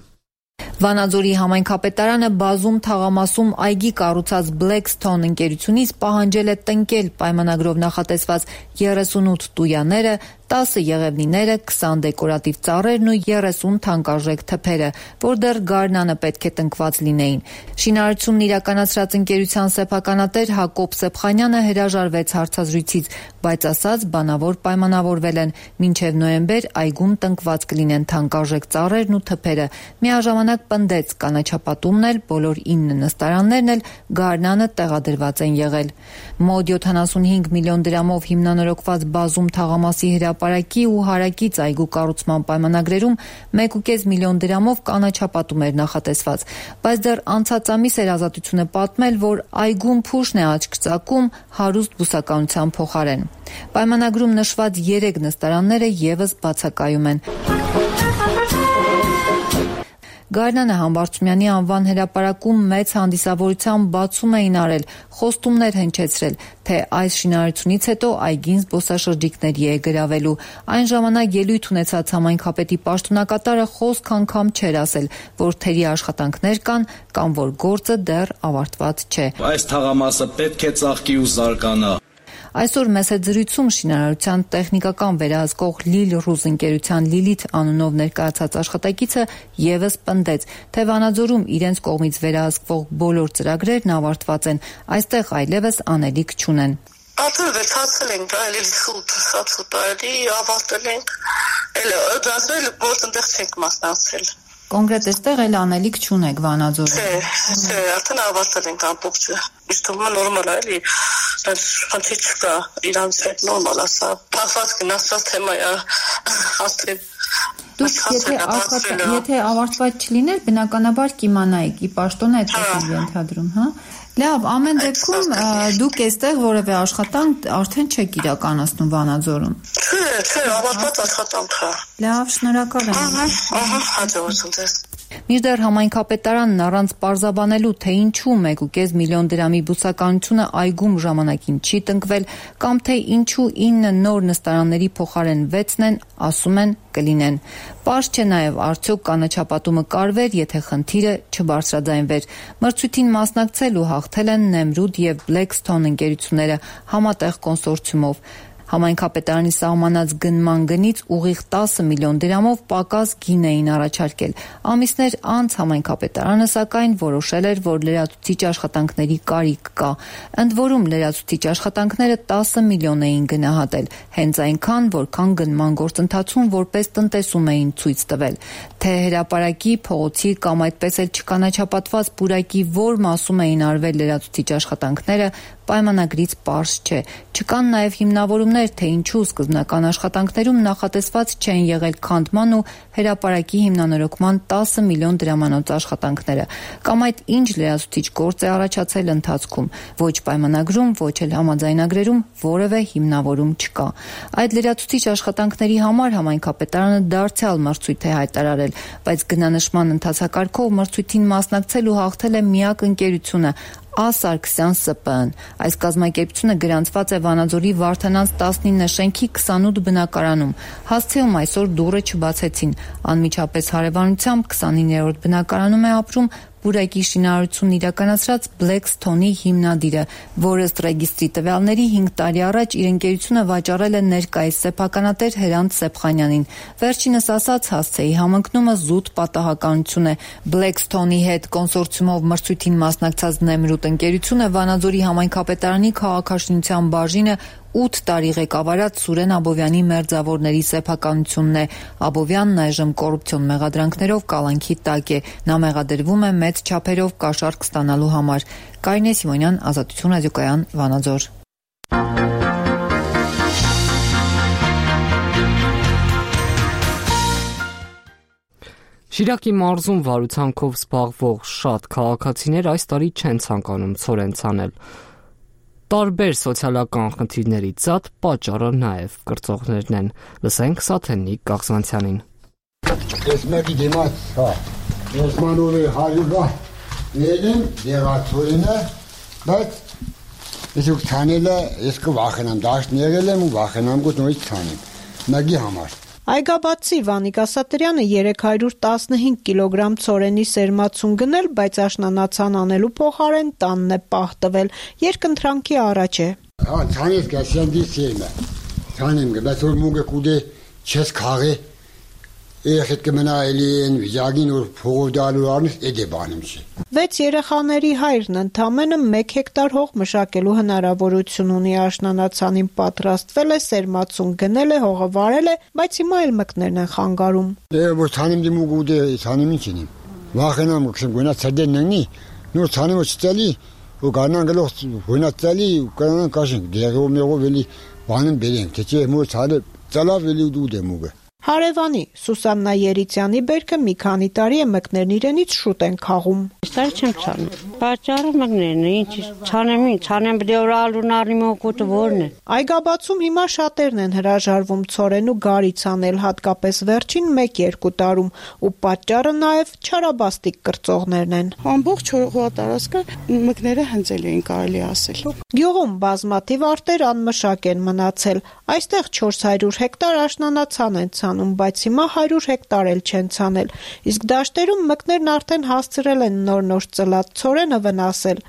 Վանաձորի համայնքապետարանը բազում թաղամասում այգի կառուցած Blackstone ընկերությունից պահանջել է տնկել պայմանագրով նախատեսված երեսունութ տույաները, տասը եղևնիները, քսան դեկորատիվ ծառերն ու երեսուն թանկարժեք թփերը, որ դեռ գարնանը պետք է տնկված լինեին։ Շինարարությունն իրականացրած ընկերության սեփականատեր Հակոբ Սեփխանյանը հրաժարվեց հարցազրույցից, բայց ասաց բանավոր պայմանավորվել են մինչև նոյեմբեր այգում տնկված կլինեն թանկարժեք ծառերն ու թփերը։ Միաժամանակ պնդեց կանաչապատումն էլ, բոլոր ինը նստարաններն էլ գարնանը տեղադրված են եղել։ Մոտ յոթանասունհինգ միլիոն դրամով հիմնանորոգված բազում թաղամասի հրապարակի ու հարակից այգու կառուցման պայմանագրերում մեկ ու կես միլիոն դրամով կանաչապատում էր նախատեսված, բայց դեռ անցած ամիս էր Ազատությունը պատմել, որ այգում փուշն է աչք ծակում հարուստ բուսականության փոխարեն։ Պայմանագրում նշված երեք նստարանները եւս բացակայում են։ Գարնանը Համբարձումյանի անվան հրապարակում մեծ հանդիսավորությամբ բացում էին արել, խոստումներ հնչեցրել, թե այս շինարարությունից հետո այգին զբոսաշրջիկների է գրավելու։ Այն ժամանակ ելույթ ունեցած համայնքապետի պաշտոնակատարը խոսք անգամ չէր ասել, որ թերի աշխատանքներ կան կամ որ գործը դեռ ավարտված չէ։ Այս թաղամասը պետք է ծաղկի ու զարգանա։ Այսօր մեծ զրույցում շինարարության տեխնիկական վերահսկող Լիլ Ռուզ ընկերության Լիլիթ անունով ներկայացած աշխատակիցը եւս պնդեց, թե Վանաձորում իրենց կողմից վերահսկվող բոլոր ծրագրերն ավարտված են, այստեղ այլևս անելիք չունեն։ Արդեն վերջացել ենք, այլ շուտ, շատ շուտ այլի ավարտել ենք, էլ դասել գործընթաց չենք մասնակցել։ Կոնկրետ այստեղ էլ անելիք չունեք Վանաձորում։ Չէ, չէ, արդեն ավարտել ենք ամբողջը։ Իսկ թվում է նորմալ է, էլի, խնդիր չկա, իրանց հետ նորմալ է, սա փախված գնացած թեմա է, ասել։ Դուք եթե եթե ավարտված չլիներ, բնականաբար կիմանայիք, ի պաշտոն այդ է ենթադրում, հա։ Լավ, ամեն դեպքում դուք այստեղ որևէ աշխատանք արդեն չեք իրականացնում Վանաձորում։ Չէ, չէ, ավարտված աշխատանք է։ Լավ, շնորհակալ եմ։ Ահա, ահա, հաջողություն ձեզ։ Մինչդեռ համայնքապետարանն առանց պարզաբանելու, թե ինչու մեկ ու կես միլիոն դրամի բուսականությունը այգում ժամանակին չի տնկվել, կամ թե ինչու ինը նոր նստարանների փոխարեն վեցն են, ասում են կլինեն։ Պարզ չէ նաև արդյոք կանաչապատումը կարվեր, եթե խնդիրը չբարձրաձայնվեր։ Մրցույթին մասնակցել ու հաղթել են Նեմրուդ եւ Blackstone ընկերությունները համատեղ կոնսորցիումով։ Համայնքապետարանի սահմանած գնման գնից ուղիղ տասը միլիոն դրամով պակաս գին էին առաջարկել։ Ամիսներ անց համայնքապետարանը սակայն որոշել էր, որ լրացուցիչ աշխատանքների կարիք կա։ Ընդ որում լրացուցիչ աշխատանքները տասը միլիոն էին գնահատել, հենց այնքան, որքան գնման գործընթացում որպես տնտեսում էին ցույց տվել։ Թե հրապարակի, փողոցի կամ այդպես էլ չկանաչապատված պուրակի որ մասում էին արվել լրացուցիչ աշխատանքները, պայմանագրից պարզ չէ։ Չկան նաև հիմնավորումներ, թե ինչու սկզբնական աշխատանքներում նախատեսված չեն եղել քանդման ու հրապարակի հիմնանորոգման տասը միլիոն դրամանոց աշխատանքները, կամ այդ ինչ լրացուցիչ գործ է առաջացել ընթացքում։ Ոչ պայմանագրում, ոչ էլ համաձայնագրերում որևէ հիմնավորում չկա։ Այդ լրացուցիչ աշխատանքների համար համայնքապետարանը դարձյալ մրցույթ է հայտարարել, բայց գնանշման ընթացակարգով մրցույթին մասնակցել ու հաղթել է միակ ընկերությունը Ա. Սարգսյան Ս Պ Ն։ Այս կազմակերպությունը գրանցված է Վանաձորի Վարդանանց տասնինը շենքի քսանութ բնակարանում։ Հասցեում այսօր դուռը չբացեցին։ Անմիջապես հարևանությամբ քսանիններորդ բնակարանում է ապրում պուրակի շինարարությունն իրականացրած Blackstone-ի հիմնադիրը, որը ըստ ռեգիստրի տվյալների հինգ տարի առաջ իր ընկերությունը վաճառել է ներկայիս սեփականատեր Հրանտ Սեփխանյանին։ Վերջինս ասած հասցեի համընկնումը զուտ պատահականություն է։ Blackstone-ի հետ կոնսորցիումով մրցույթին մասնակցած Նեմրուդ ընկերությունը Վանաձորի համայնքապետարանի քաղաքաշինության բաժինը ութ տարի ղեկավարած Սուրեն Աբովյանի մերձավորների սեփականությունն է։ Աբովյանն այժմ կոռուպցիոն մեղադրանքներով կալանքի տակ է։ Նա մեղադրվում է մեծ չափերով կաշառք ստանալու համար։ Կարինե Սիմոնյան, Ազատություն ռադիոկայան, Վանաձոր։ Շիրակի մարզում վարուցանքով զբաղվող շատ քաղաքացիներ այս տարի չեն ցանկանում ցորեն ցանել։ Տարբեր սոցիալական խնդիրների ցած պատճառը նաև կրծողներն են։ Լսենք Սաթենիկ Կաղզանցյանին։ Ես մեկի դիմաց, հա, ես մանովի հարյուգա ելեմ, դեղացորինը, բայց ես ուք ցանելը, ես կվախենամ, դաշտ եղել եմ ու վախենամ գոտ նորից ցանեմ, մեկի համար։ Այգաբացի Վանիկ Ասատրյանը երեք հարյուր տասնհինգ կիլոգրամ ցորենի սերմացուն գնել, բայց աշնանացան անելու փոխարեն տանն է պահ տվել, երկընտրանքի առաջ է։ Հա, ցանես գասյանդի սերմը։ Ցանեմ գբած որ մուգը կուդե չես քաղե։ Երեխետ կմնա էլի են վիճակին որ փողով դալու արնես էդ է բանում չի։ Վեց երեխաների հայրն ընդամենը մեկ հեկտար հող մշակելու հնարավորություն ունի, աշնանացանին պատրաստվել է, սերմացուն գնել է, հողը վարել է, բայց հիմա էլ մկներն են խանգարում։ Դե որ ցանեմ դի մուգ ուդե ցանեմ ինչ ինիմ։ Վախենամ կսեմ գոնա ցդեն ննի, նոր ցանեմ չծալի, ու գանան գլոխ գոնա ծալի, ու կանան կաշին, դեղով մեղով էլի բանին բերենք, թե չէ մոր ցալը ծալավ էլի ուդե մուգը։ Հարևանի Սուսաննա Երիցյանի բերքը մի քանի տարի է մկներն իրենից շուտ են քաղում։ Ստար չեմ ցանում։ Պատճառը մկներն է, ինչ ցանեմ, ցանեմ դե որ ալունարի մոկոտը որն է։ Այգաբացում հիմա շատերն են հրաժարվում ցորեն ու գարի ցանել, հատկապես վերջին մեկ-երկու տարում, ու պատճառը նաև չարաբաստիկ կրծողներն են։ Ամբողջ հողատարածքը մկները հնձել էին, կարելի ասել։ Գյուղում բազմաթիվ արտեր անմշակ են մնացել։ Այստեղ չորս հարյուր հեկտար աշնանացան են ցանում, բայց հիմա հարյուր հեկտար էլ չեն ցանել։ Իսկ դաշտերում մկներն արդեն հասցրել են նոր-նոր ծլած ցորենը վնասել։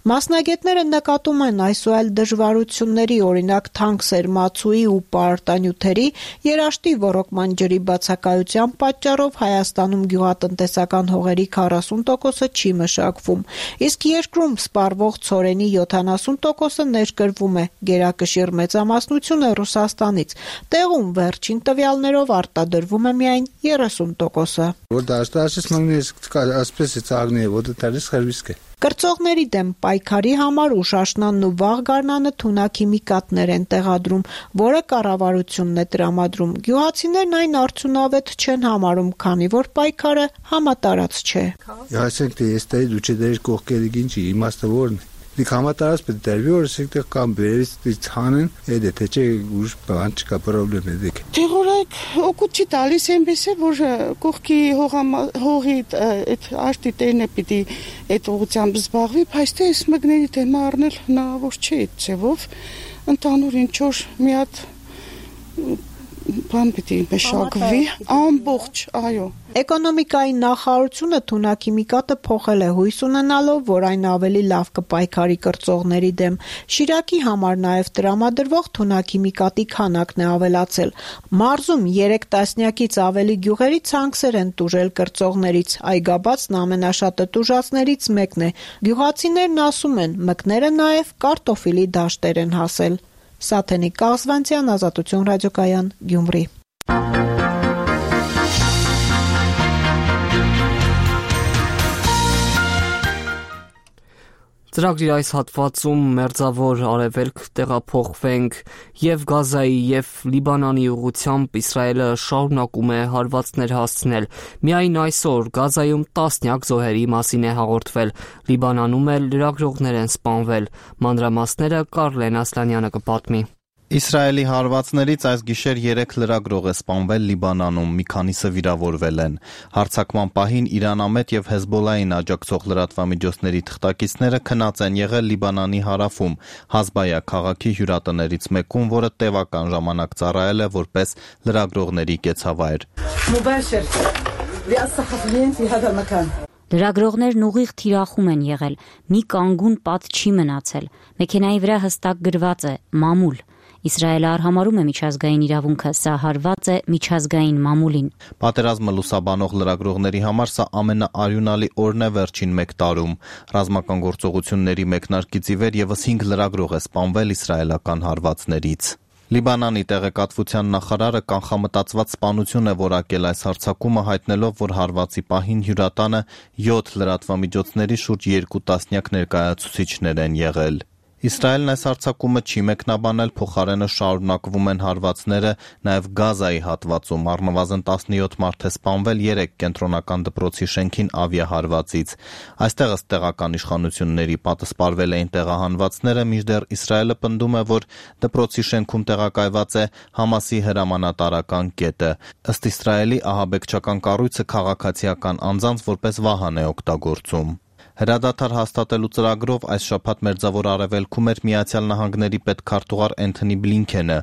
Մասնագետները նկատում են այս ու այլ դժվարությունների, օրինակ թանկ սերմացուի ու պարտանյութերի, երաշտի ոռոգման ջրի բացակայության պատճառով Հայաստանում գյուղատնտեսական հողերի քառասուն տոկոսը չի մշակվում, իսկ երկրում սպառվող ցորենի յոթանասուն տոկոսը ներկրվում է, գերակշիռ մեծամասնությունը Ռուսաստանից։ Տեղում վերջին տվյալներով արտադրվում է միայն երեսուն տոկոսը։ Որ դաշտաշս մանգնես ասպես է ցաղնի, որ դարես խերվիսկ է։ Կրծողների դեմ պայքարի համար ուշ աշնանն ու վաղ գարնանը թունաքիմիկատներ են տեղադրում, որը կառավարությունն է տրամադրում։ Գյուղացիներն այն արդյունավետ չեն համարում, քանի որ պայքարը համատարած չէ։ Ասենք թե ես տայի դու չդեր կողքերի գինչի իմաստը որն է։ Դիք համատարած պետք է դերվի որ ասենք թե կամ բերից ցանեն, էդ է թե չէ ուժ բան չկա պրոբլեմ է դեք։ Տեղորակ օգուտ չի տալիս այնպես է որ կողքի հողի այդ արտի տերն է պիտի այդ ուղղությամբ զբաղվի, բայց թե այս մկների դեմը առնել հնարավոր չէ այդ ձևով, ընդհանուր ինչ որ մի հատ բան պիտի մշակվի ամբողջ, այո։ Էկոնոմիկայի նախարարությունը թունաքիմիկատը փոխել է հույս ունենալով, որ այն ավելի լավ կպայքարի կրծողների դեմ։ Շիրակի համար նաև տրամադրվող թունաքիմիկատի քանակն է ավելացել։ Մարզում երեք տասնյակից ավելի գյուղերի ցանքսեր են տուժել կրծողներից, այգաբացն ամենաշատը տուժածներից մեկն է։ Գյուղացիներն ասում են, մկները նաև կարտոֆիլի դաշտեր են հասել։ Սաթենիկ Կազվանցյան, Ազատություն ռադիոկայան, Գյումրի։ Ծրագրի այս հատվածում մերձավոր արևելք տեղափոխվենք եւ Գազայի եւ Լիբանանի ուղղությամբ Իսրայելը շարունակում է հարվածներ հասցնել։ Միայն այսօր Գազայում տասնյակ զոհերի մասին է հաղորդվել, Լիբանանում էլ լրագրողներ են սպանվել։ Մանրամասները Կարլեն Ասլանյանը կպատմի։ Իսրայելի հարվածներից այս գիշեր երեք լրագրող է սպանվել Լիբանանում, մի քանիսը վիրավորվել են։ Հարձակման պահին Իրանամետ եւ Հեզբոլային աջակցող լրատվամիջոցների թղթակիցները քնած են եղել Լիբանանի հարավում, Հազբայա քաղաքի հյուրատներից մեկում, որը տևական ժամանակ ծառայել է որպես լրագրողների կեցավայր։ Լրագրողներն ուղիղ թիրախում են եղել, մի կանգուն պատ չի մնացել, մեքենայի վրա հստակ գրված է «Մամուլ»։ Իսրայելը արհամարում է միջազգային իրավունքը, սա հարված է միջազգային մամուլին։ Պատերազմը լուսաբանող լրագրողների համար սա ամենաարյունալի օրն է վերջին մեկ տարում։ Ռազմական գործողությունների մեկնարկից ի վեր ևս հինգ լրագրող է սպանվել իսրայելական հարվածներից։ Լիբանանի տեղեկատվության նախարարը կանխամտածված սպանություն է որակել այս հարձակումը, հայտնելով, որ հարվածի պահին հյուրատանը յոթ լրատվամիջոցների շուրջ երկու տասնյակ ներկայացուցիչներ են եղել։ Իսրայելն այս հարձակումը չի մեկնաբանել, փոխարենը շարունակվում են հարվածները նաև Գազայի հատվածում, առնվազն տասնյոթ մարդ է սպանվել երեք կենտրոնական դպրոցի շենքին ավիահարվածից։ Այստեղ ըստ տեղական իշխանությունների պատասպարվել էին տեղահանվածները, մինչդեռ Իսրայելը պնդում է, որ դպրոցի շենքում տեղակայված է Համասի հրամանատարական կետը։ Ըստ Իսրայելի ահաբեկչական կառույցը քաղաքացիական անձանց որպես վահան է օգտագործում։ Հրադադար հաստատելու ծրագրով այս շաբաթ Մերձավոր Արևելքում էր Միացյալ Նահանգների պետքարտուղար Էնթոնի Բլինքենը։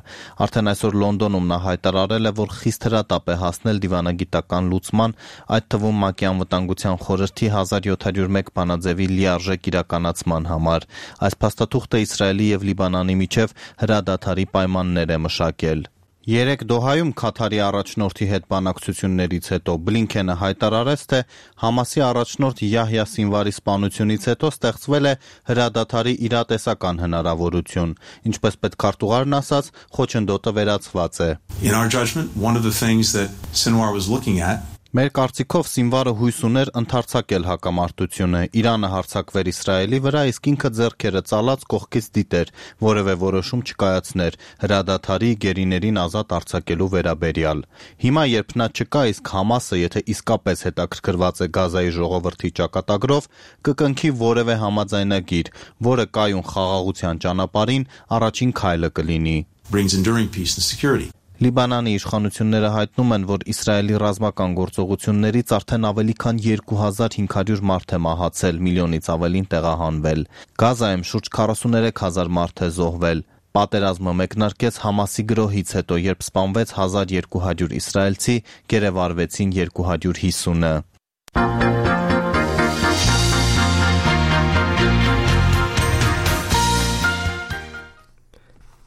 Արդեն այսօր Լոնդոնում նա հայտարարել է, որ խիստ հրատապ է հասնել դիվանագիտական լուծման, այդ թվում ՄԱԿ-ի անվտանգության խորհրդի հազար յոթ հարյուր մեկ բանաձևի լիարժեք իրականացման համար։ Այս փաստաթուղթը Իսրայելի և Լիբանանի միջև հրադադարի պայմաններ է մշակել։ Երեկ Դոհայում Քաթարի առաջնորդի հետ բանակցություններից հետո Բլինքենը հայտարարեց, թե Համասի առաջնորդ Յահյա Սինվարի սպանությունից հետո ստեղծվել է հրադադարի իրատեսական հնարավորություն։ Ինչպես պետքարտուղարն ասաց, խոչընդոտը վերացված է։ In our judgment, one of the things that Sinwar was looking at Մեր կարծիքով Սինվարը հույս ուներ ընդարձակել հակամարտությունը, Իրանը հարձակվեր Իսրայելի վրա, իսկ ինքը ձեռքերը ծալած կողքից դիտեր, որևէ որոշում չկայացներ հրադադարի գերիներին ազատ արձակելու վերաբերյալ։ Հիմա երբ նա չկա, իսկ Համասը, եթե իսկապես հետաքրքրված է Գազայի ժողովրդի ճակատագրով, կկնքի որևէ համաձայնագիր, որը կայուն խաղաղության ճանապարհին առաջին քայլը կլինի։ brings enduring peace and security. Լիբանանի իշխանությունները հայտնում են, որ Իսրայելի ռազմական գործողություններից արդեն ավելի քան երկու հազար հինգ հարյուր մարդ է մահացել, միլիոնից ավելին տեղահանվել։ Գազայում շուրջ քառասուներեք հազար մարդ է զոհվել։ Պատերազմը մեկնարկեց Համասի գրոհից հետո, երբ սպանվեց հազար երկու հարյուր իսրայելցի, գերեվարվեցին երկու հարյուր հիսունը։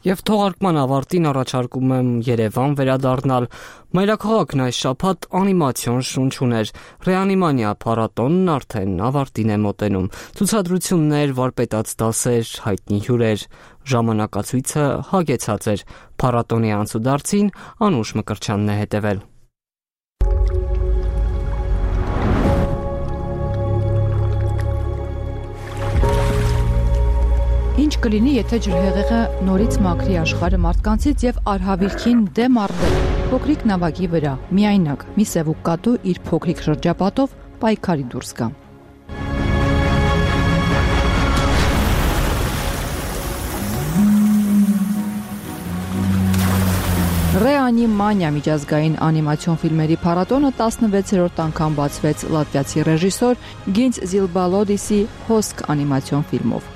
Եվ թողարկման ավարտին առաջարկում եմ Երևան վերադառնալ։ Մայրաքաղաքն այս շաբաթ անիմացիոն շունչ ուներ։ Ռեանիմանիա փառատոնն արդեն ավարտին է մոտենում։ Ցուցադրություններ, վարպետաց դասեր, հայտնի հյուրեր։ Ժամանակացույցը հագեցած էր։ Փառատոնի անցուդարձին Անուշ Մկրտչյանն է հետևել։ Ինչ կլինի, եթե ջրհեղեղը նորից մաքրի աշխարհը մարդկանցից եւ արհավիրքին դեմ արդել։ Փոքրիկ նավակի վրա, միայնակ, մի սևուկ կատու իր փոքրիկ շրջապատով պայքարի դուրս գա։ Ռեանիմանիա միջազգային անիմացիոն ֆիլմերի փառատոնը տասնվեցերորդ անգամ բացվեց լատվիացի ռեժիսոր Գինց Զիլբալոդիսի Հոսք անիմացիոն ֆիլմով։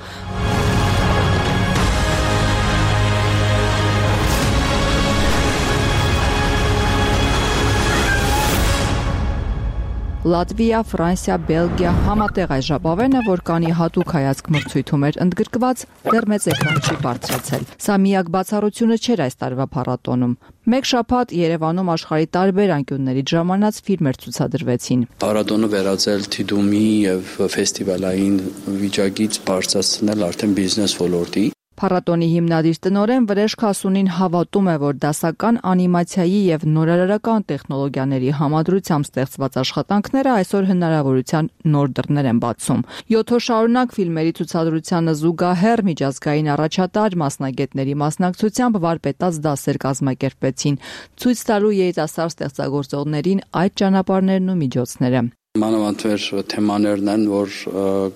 Լատվիա, Ֆրանսիա, Բելգիա համատեղ այս ժապավենը, որ կանի հատուկ հայացք մրցույթում էր ընդգրկված, դեռ մեծ էկրան չի բարձրացել։ Սա միակ բացառությունը չէր այս տարվա փառատոնում։ Մեկ շաբաթ Երևանում աշխարհի տարբեր անկյուններից ժամանած ֆիլմեր ցուցադրվեցին։ Փառատոնը վերածել թիդումի եւ ֆեստիվալային վիճակից բարձրացնել արդեն բիզնես ոլորտի։ Փառատոնի հիմնադիր տնօրեն Վրեժ Քասունին հավատում է, որ դասական անիմացիայի եւ նորարարական տեխնոլոգիաների համադրությամբ ստեղծված աշխատանքները այսօր հնարավորության նոր դռներ են բացում։ յոթ օր շարունակ ֆիլմերի ցուցադրությանը զուգահեռ միջազգային առաջատար մասնագետների մասնակցությամբ վարպետաց դասեր կազմակերպվեցին, ցույց տալու երիտասարդ ստեղծագործողներին այդ ճանապարհներն ու միջոցները։ Մանավանդ թեմաներն են, որ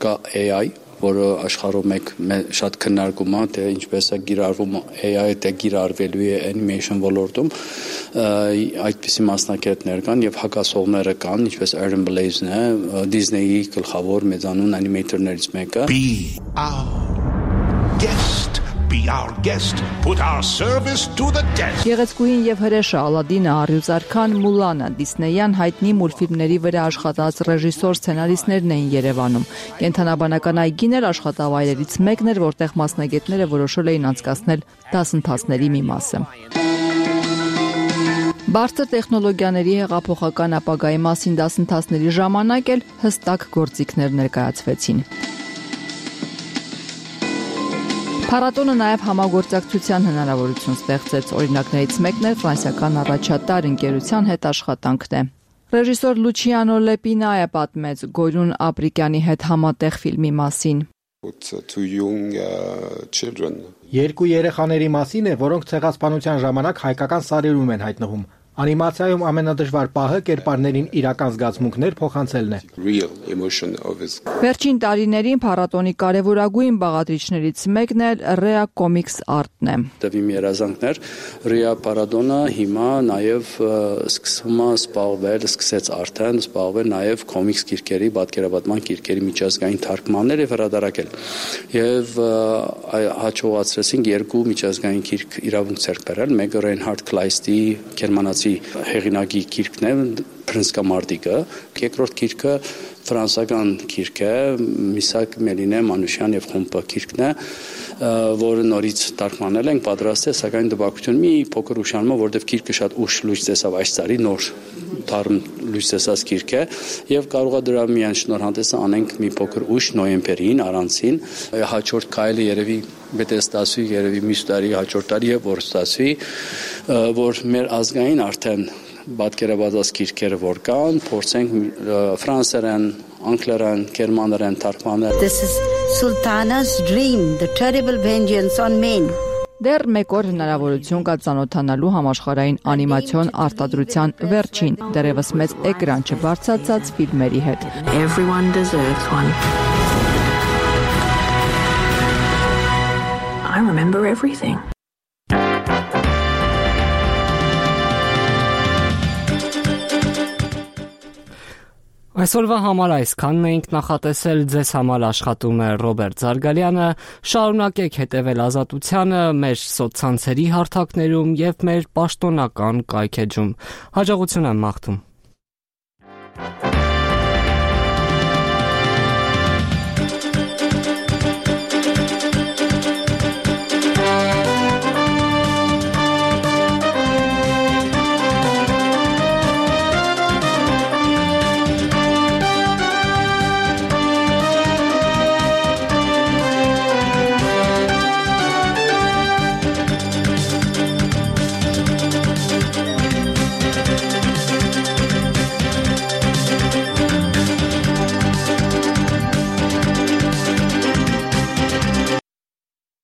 կա A I որը աշխարհում մեկ շատ քննարկում է, թե ինչպես է գիրառվում A I-ը, թե գիրառվելու է animation ոլորտում, այդպիսի մասնակիցներ կան եւ հակասողները կան, ինչպես Aaron Blaze-ն է, Disney-ի գլխավոր մեծանուն անիմեյտորներից մեկը։ Be our guest. Be our guest, put our service to the test. Գեղեցկուհին եւ հրեշը Ալադինը, Արյուծարքան, Մուլանը, Դիսնեյան հայտնի մուլտֆիլմների վրա աշխատած ռեժիսոր սցենարիստներն էին Երևանում։ Կենթանաբանական այգին էր աշխատավայրերից մեկն էր, որտեղ մասնագետները որոշել էին անցկացնել դասընթացների մի մասը։ Բարձր տեխնոլոգիաների հեղափոխական ապագայի մասին դասընթացների ժամանակ էլ հստակ գործիքներ ներկայացվեցին։ Փառատոնը նաև համագործակցության հնարավորություն ստեղծեց, օրինակներից մեկն էր ֆրանսիական առաջատար ընկերության հետ աշխատանքն է։ Ռեժիսոր Լուչիանո Լեպինայը պատմեց Գոյրուն Ապրիկյանի հետ համատեղ ֆիլմի մասին։ Երկու երեխաների մասին է, որոնք ցեղասպանության ժամանակ հայկական սարերում են հայտնվում։ Անիմացիայում ամենադժվար պահը կերպարներին իրական զգացմունքներ փոխանցելն է։ Վերջին տարիներին փառատոնի կարևորագույն բաղադրիչներից մեկն էլ Rea Comics Art-ն է։ Տվիմ երազանքներ Rea Paradona հիմա նաև սկսում է զբաղվել, սկսեց արդեն զբաղվել նաև կոմիքս գիրքերի, պատկերապատման գիրքերի միջազգային թարգմաններ եւ հրատարակել։ Եվ հաջողացրեցինք երկու միջազգային գիրք իրավունք ձեռք բերել, մեկը Reinhard Kleistի գերմանացի հեղինակի գիրքն է Փրնսկամարտիկը, երկրորդ գիրքը ֆրանսական գիրք է Միսակ Մելինե Մանուշյան եւ խումբը գիրքն է, որը նորից թարգմանել ենք, պատրաստել, սակայն դպակություն մի փոքր ուշանում է, որովհետեւ գիրքը շատ ուշ լույս տեսավ այս տարի, նոր թարմ լույս տեսած գիրք է եւ կարող է դրա միայն շնորհանդեսը անենք մի փոքր ուշ նոյեմբերին առանցին հաջորդ քայլը երևի պետք է ստացվի երևի մյուս տարի հաջորդ տարի եւ որ ստացվի որ մեր ազգային արդեն պատկերապատված գիրքերը որ կան փորձենք ֆրանսերեն անգլերեն գերմաներեն թարգմանել This is Sultana's dream the terrible vengeance on men Դեռ մեկ օր հնարավորություն կա ծանոթանալու համաշխարհային անիմացիոն արտադրության վերջին, դեռևս մեծ էկրան չբարձրացած ֆիլմերի հետ։ Everyone deserves one. I remember everything. Այսօրվա համար այսքանն էինք նախատեսել, ձեզ համար աշխատում է Ռոբերտ Զարգալյանը, շարունակեք հետևել Ազատությանը մեր սոցցանցերի հարթակներում և մեր պաշտոնական կայքէջում։ Հաջողություն եմ մաղթում։